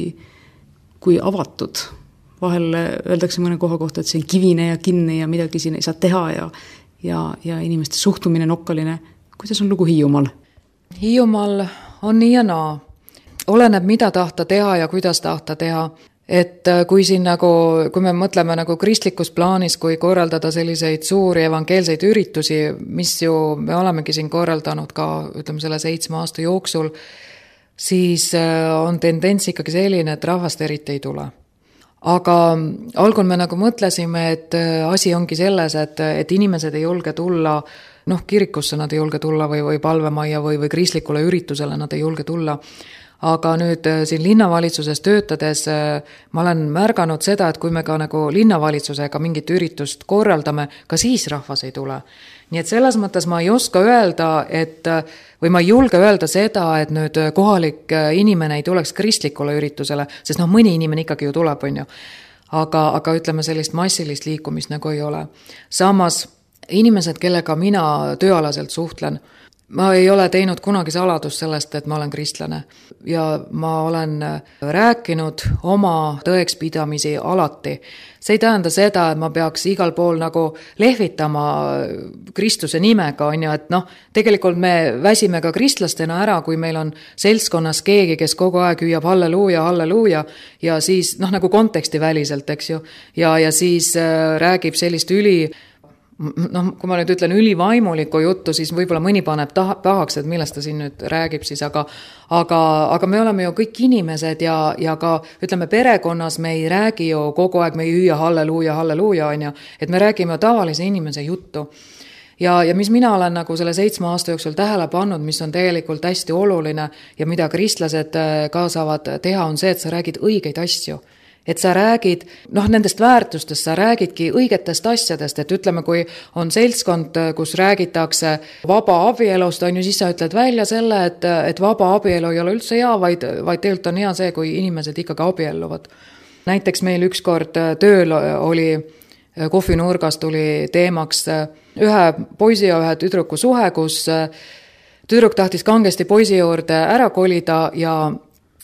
kui avatud? Vahel öeldakse mõne koha kohta, et see on kivine ja kinni ja midagi siin ei saa teha ja, ja, ja inimeste suhtumine nokkaline. Kuidas on lugu Hiiumaal? Hiiumaal on nii ja naa. Oleneb, mida tahta teha ja kuidas tahta teha. Et kui siin nagu, kui me mõtleme nagu kristlikus plaanis, kui korraldada selliseid suuri evangeelseid üritusi, mis ju me olemegi siin korraldanud ka, ütleme selle seitsme aasta jooksul, siis on tendents ikkagi selline, et rahvast eriti ei tule. Aga algul me nagu mõtlesime, et asi ongi selles, et, et inimesed ei julge tulla, noh, kirikusse nad ei julge tulla või, või palvemaja või, või kristlikule üritusele nad ei julge tulla. Aga nüüd siin linnavalitsuses töötades ma olen märganud seda, et kui me ka nagu linnavalitsusega mingit üritust korraldame, ka siis rahvas ei tule. Nii et selles mõttes ma ei oska öelda, et, või ma ei julge öelda seda, et nüüd kohalik inimene ei tuleks kristlikule üritusele, sest noh, mõni inimene ikkagi ju tuleb, on ju. Aga, aga ütleme sellist massilist liikumist nagu ei ole. Samas inimesed, kellega mina tööalaselt suhtlen, ma ei ole teinud kunagi saladust sellest, et ma olen kristlane ja ma olen rääkinud oma tõekspidamisi alati. See ei tähenda seda, et ma peaks igal pool nagu lehvitama Kristuse nimega, on ju, et noh, tegelikult me väsime ka kristlastena ära, kui meil on seltskonnas keegi, kes kogu aeg hüüab halleluuja, halleluuja ja siis noh, nagu konteksti väliselt, eks ju, ja, ja siis äh, räägib sellist üli noh, kui ma nüüd ütlen ülivaimulikku juttu, siis võib-olla mõni paneb taha, pahaks, et millest ta siin nüüd räägib siis, aga, aga, aga me oleme ju kõik inimesed ja, ja ka ütleme perekonnas me ei räägi ju kogu aeg, me ei hüüa halleluuja, halleluuja, on ju, et me räägime tavalise inimese juttu. Ja, ja mis mina olen nagu selle seitsme aasta jooksul tähele pannud, mis on tegelikult hästi oluline ja mida kristlased ka saavad teha, on see, et sa räägid õigeid asju. Et sa räägid, noh, nendest väärtustest, sa räägidki õigetest asjadest, et ütleme, kui on seltskond, kus räägitakse vaba abielust, on ju, siis sa ütled välja selle, et, et vaba abielu ei ole üldse hea, vaid, vaid tegelikult on hea see, kui inimesed ikkagi abielluvad. Näiteks meil ükskord tööl oli, kohvinurgas tuli teemaks ühe poisi ja ühe tüdruku suhe, kus tüdruk tahtis kangesti poisi juurde ära kolida ja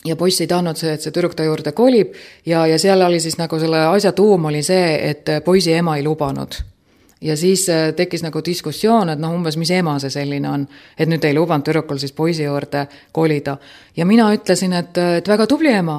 ja poiss ei tahtnud see, et see tüdruk ta juurde kolib ja, ja seal oli siis nagu selle asja tuum oli see, et poisi ema ei lubanud. Ja siis tekkis nagu diskussioon, et noh, umbes mis ema see selline on, et nüüd ei lubanud tüdrukul siis poisi juurde kolida. Ja mina ütlesin, et, et väga tubli ema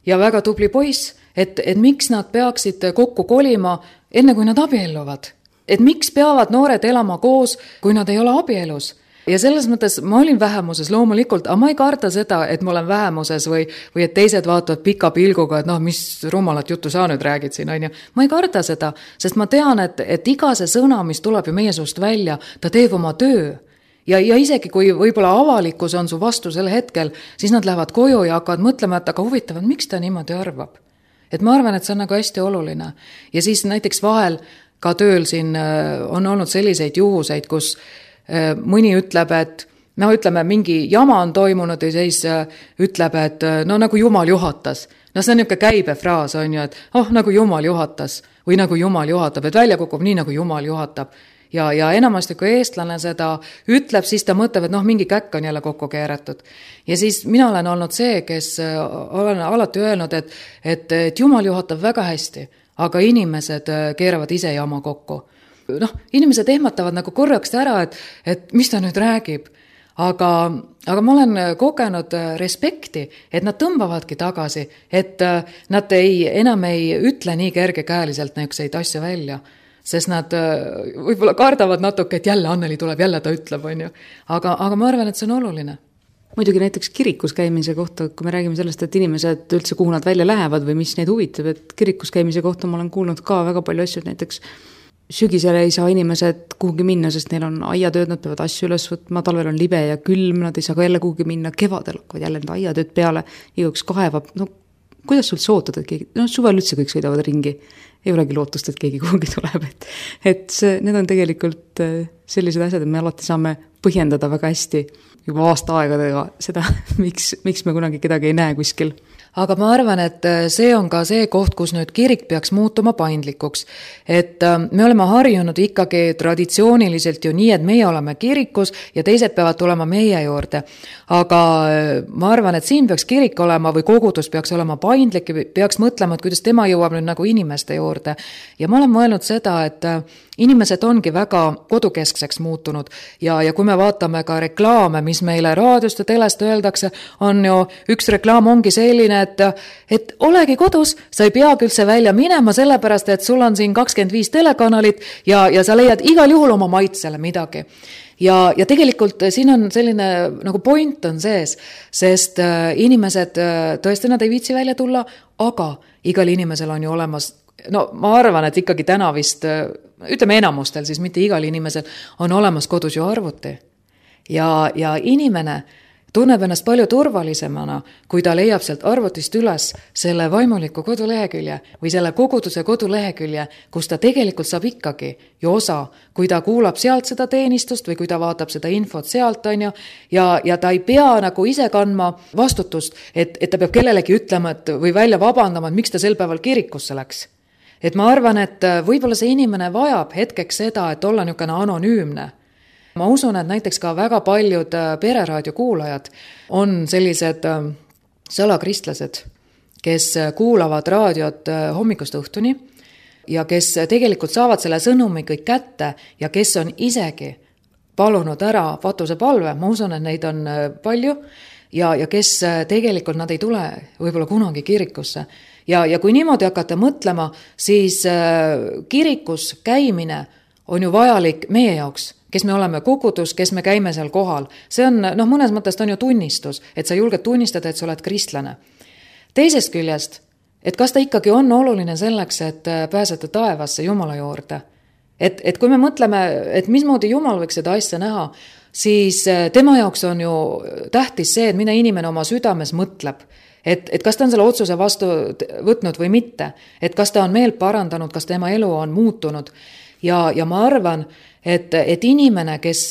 ja väga tubli poiss, et, et miks nad peaksid kokku kolima enne kui nad abielluvad. Et miks peavad noored elama koos, kui nad ei ole abielus. Ja selles mõttes ma olin vähemuses loomulikult, aga ma ei karda seda, et ma olen vähemuses või, või et teised vaatavad pika pilguga, et noh, mis rumalat juttu sa nüüd räägid siin, on ju. Ma ei karda seda, sest ma tean, et, et iga see sõna, mis tuleb ju meie suust välja, ta teeb oma töö. Ja, ja isegi kui võib-olla avalikkus on su vastu sel hetkel, siis nad lähevad koju ja hakkavad mõtlema, et aga huvitavad, miks ta niimoodi arvab. Et ma arvan, et see on nagu hästi oluline. Ja siis näiteks vahel ka tööl siin on olnud selliseid juhuseid, kus mõni ütleb, et no ütleme, mingi jama on toimunud ja siis ütleb, et no nagu Jumal juhatas. No see on niisugune käibefraas, on ju, et oh, nagu Jumal juhatas või nagu Jumal juhatab, et välja kukub nii, nagu Jumal juhatab. Ja, ja enamasti, kui eestlane seda ütleb, siis ta mõtleb, et noh, mingi käkk on jälle kokku keeratud. Ja siis mina olen olnud see, kes olen alati öelnud, et, et, et Jumal juhatab väga hästi, aga inimesed keeravad ise jama kokku. Noh, inimesed ehmatavad nagu korraks ära, et, et mis ta nüüd räägib, aga, aga ma olen kogenud respekti, et nad tõmbavadki tagasi, et nad ei, enam ei ütle nii kergekäeliselt näikseid asju välja, sest nad võib-olla kardavad natuke, et jälle Anneli tuleb, jälle ta ütleb, on ju. Aga, aga ma arvan, et see on oluline. Muidugi näiteks kirikus käimise kohta, kui me räägime sellest, et inimesed üldse kuhu nad välja lähevad või mis neid huvitab, et kirikus käimise kohta ma olen kuulnud ka väga palju asju, näiteks sügisele ei saa inimesed kuhugi minna, sest neil on aiatööd, nad peavad asju üles võtma, talvel on libe ja külm, nad ei saa ka jälle kuhugi minna, kevadel hakkavad jälle need aiatööd peale, igaüks kaevab, no kuidas sul sootad, et keegi, no suvel üldse kõik sõidavad ringi, ei olegi lootust, et keegi kuhugi tuleb, et, et see, need on tegelikult sellised asjad, et me alati saame põhjendada väga hästi juba aasta aegadega seda, miks, miks me kunagi kedagi ei näe kuskil. Aga ma arvan, et see on ka see koht, kus nüüd kirik peaks muutuma paindlikuks. Et me oleme harjunud ikkagi traditsiooniliselt ju nii, et meie oleme kirikus ja teised peavad tulema meie juurde. Aga ma arvan, et siin peaks kirik olema või kogudus peaks olema paindlik ja peaks mõtlema, et kuidas tema jõuab nüüd nagu inimeste juurde. Ja ma olen mõelnud seda, et inimesed ongi väga kodukeskseks muutunud ja, ja kui me vaatame ka reklaame, mis meile raadiost ja telest öeldakse, on ju üks reklaam ongi selline, et, et olegi kodus, sa ei peagi üldse välja minema, sellepärast, et sul on siin kakskümmend viis telekanalit ja, ja sa leiad igal juhul oma maitsele midagi. Ja, ja tegelikult siin on selline nagu point on sees, sest inimesed tõesti nad ei viitsi välja tulla, aga igal inimesel on ju olemas, no ma arvan, et ikkagi täna vist, ütleme enamustel, siis mitte igal inimesel on olemas kodus ju arvuti. Ja, ja inimene tunneb ennast palju turvalisemana, kui ta leiab sealt arvutist üles selle vaimuliku kodulehekülje või selle koguduse kodulehekülje, kus ta tegelikult saab ikkagi ju osa, kui ta kuulab sealt seda teenistust või kui ta vaatab seda infot sealt, on ju, ja, ja ta ei pea nagu ise kandma vastutust, et, et ta peab kellelegi ütlema et, või välja vabandama, et miks ta sel päeval kirikusse läks. Et ma arvan, et võib-olla see inimene vajab hetkeks seda, et olla niisugune anonüümne. ma usun, et näiteks ka väga paljud pereraadio kuulajad on sellised salakristlased, kes kuulavad raadiot hommikust õhtuni ja kes tegelikult saavad selle sõnumi kõik kätte ja kes on isegi palunud ära patuse palve, ma usun, et neid on palju ja, ja kes tegelikult nad ei tule võib-olla kunagi kirikusse. Ja, ja kui niimoodi hakata mõtlema, siis kirikus käimine on ju vajalik meie jaoks, kes me oleme kogudus, kes me käime seal kohal. See on, noh, mõnes mõttes on ju tunnistus, et sa julged tunnistada, et sa oled kristlane. Teisest küljest, et kas ta ikkagi on oluline selleks, et pääseda taevasse Jumala juurde. Et, et kui me mõtleme, et mismoodi Jumal võiks seda asja näha, siis tema jaoks on ju tähtis see, et mida inimene oma südames mõtleb. Et, et kas ta on selle otsuse vastu võtnud või mitte. Et kas ta on meelt parandanud, kas tema elu on muutunud. Ja, ja ma arvan, et, et inimene, kes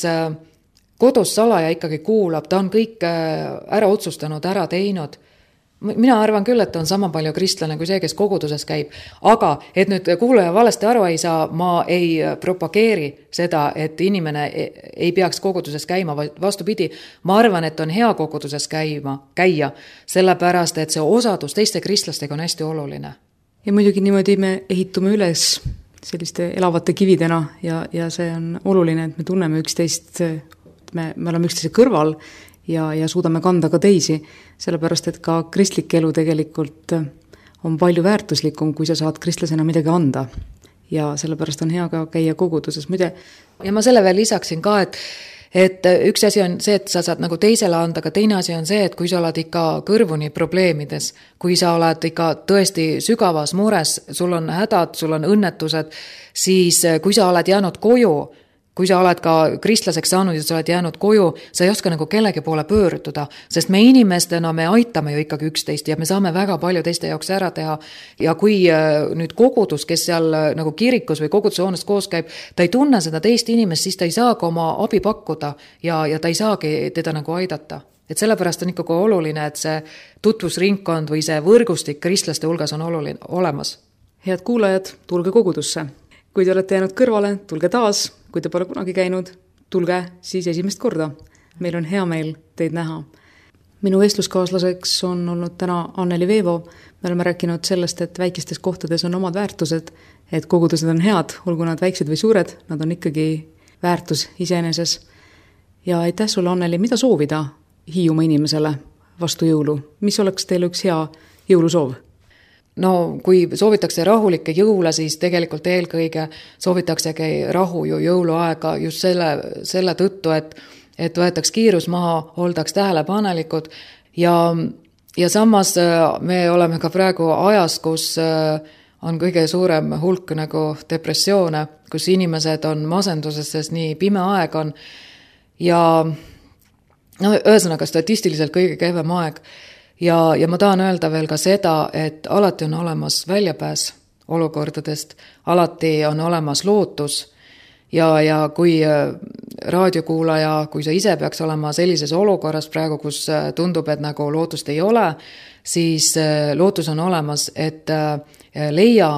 kodus salaja ikkagi kuulab, ta on kõik ära otsustanud, ära teinud. Mina arvan küll, et on sama palju kristlane kui see, kes koguduses käib. Aga, et nüüd kuulaja valesti aru ei saa, ma ei propageeri seda, et inimene ei peaks koguduses käima, vastupidi. Ma arvan, et on hea koguduses käima, käia, sellepärast, et see osadus teiste kristlastega on hästi oluline. Ja muidugi niimoodi me ehitume üles selliste elavate kividena ja, ja see on oluline, et me tunneme üksteist, me, me oleme üksteise kõrval ja, ja suudame kanda ka teisi, sellepärast, et ka kristlik elu tegelikult on palju väärtuslikum, kui sa saad kristlasena midagi anda. Ja sellepärast on hea ka käia koguduses. Muide, ja ma selle veel lisaksin ka, et, et üks asi on see, et sa saad nagu teisele anda, aga teine asi on see, et kui sa oled ikka kõrvuni probleemides, kui sa oled ikka tõesti sügavas mures, sul on hädad, sul on õnnetused, siis kui sa oled jäänud koju, kui sa oled ka kristlaseks saanud ja sa oled jäänud koju, sa ei oska nagu kellegi poole pöörduda, sest me inimestena me aitame ju ikkagi üksteist ja me saame väga palju teiste jaoks ära teha. Ja kui nüüd kogudus, kes seal nagu kirikus või kogudushoonest koos käib, ta ei tunne seda teist inimest, siis ta ei saa ka oma abi pakkuda ja, ja ta ei saagi teda nagu aidata. Et sellepärast on ikkagi oluline, et see tutvusringkond või see võrgustik kristlaste hulgas on oluline, olemas. Head kuulajad, tulge kogudusse. Kui te olete jäänud kõrvale, tulge taas. Kui te pole kunagi käinud, tulge siis esimest korda. Meil on hea meel teid näha. Minu vestluskaaslaseks on olnud täna Anneli Veevo. Me oleme rääkinud sellest, et väikestes kohtades on omad väärtused, et kogudused on head, olgu nad väiksed või suured, nad on ikkagi väärtus iseeneses. Ja aitäh sulle, Anneli, mida soovida Hiiumaa inimesele vastu jõulu? Mis oleks teil üks hea jõulusoov? No kui soovitakse rahulikke jõule, siis tegelikult eelkõige soovitaksegi rahu ju jõuluaega just selle, selle tõttu, et, et võetaks kiirus maha, oldaks tähelepanelikud ja, ja samas me oleme ka praegu ajas, kus on kõige suurem hulk nagu depressioone, kus inimesed on masenduses, sest nii pime aeg on ja no, ühesõnaga statistiliselt kõige kehvem aeg. Ja, ja ma tahan öelda veel ka seda, et alati on olemas väljapääs olukordadest, alati on olemas lootus ja, ja kui raadiokuulaja, kui sa ise peaks olema sellises olukorras praegu, kus tundub, et nagu lootust ei ole, siis lootus on olemas, et leia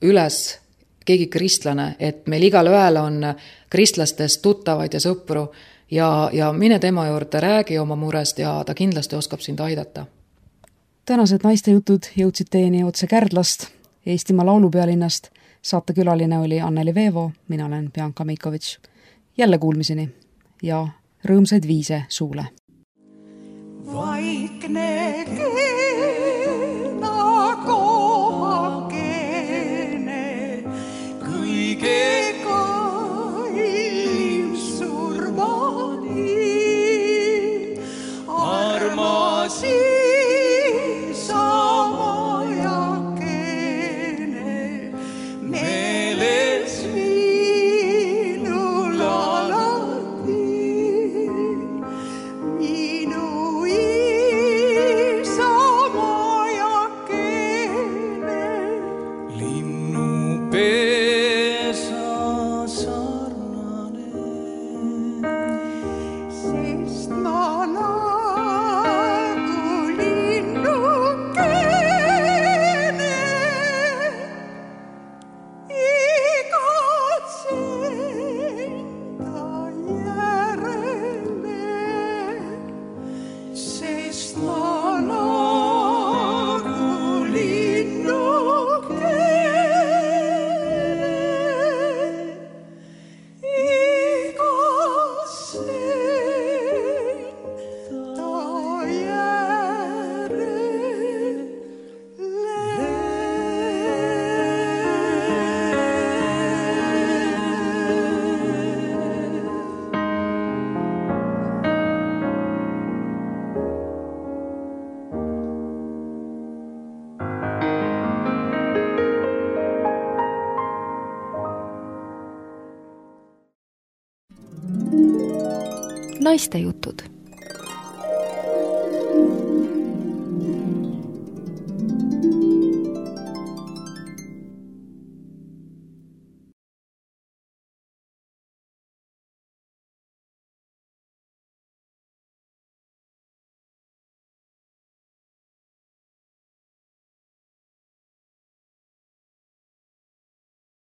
üles keegi kristlane, et meil igal ühel on kristlastest tuttavaid ja sõpru ja, ja mine tema juurde, räägi oma murest ja ta kindlasti oskab sind aidata. Tänased naistejutud jõudsid teieni otse Kärdlast, Eestimaa laulupealinnast. Saatekülaline oli Anneli Veevo, mina olen Bianca Meikovitš. Jälle kuulmiseni ja rõõmsaid viise suule. Vaikne keena kohakene, kõige kallim surmani, armasi Minu isa ma Naistejutud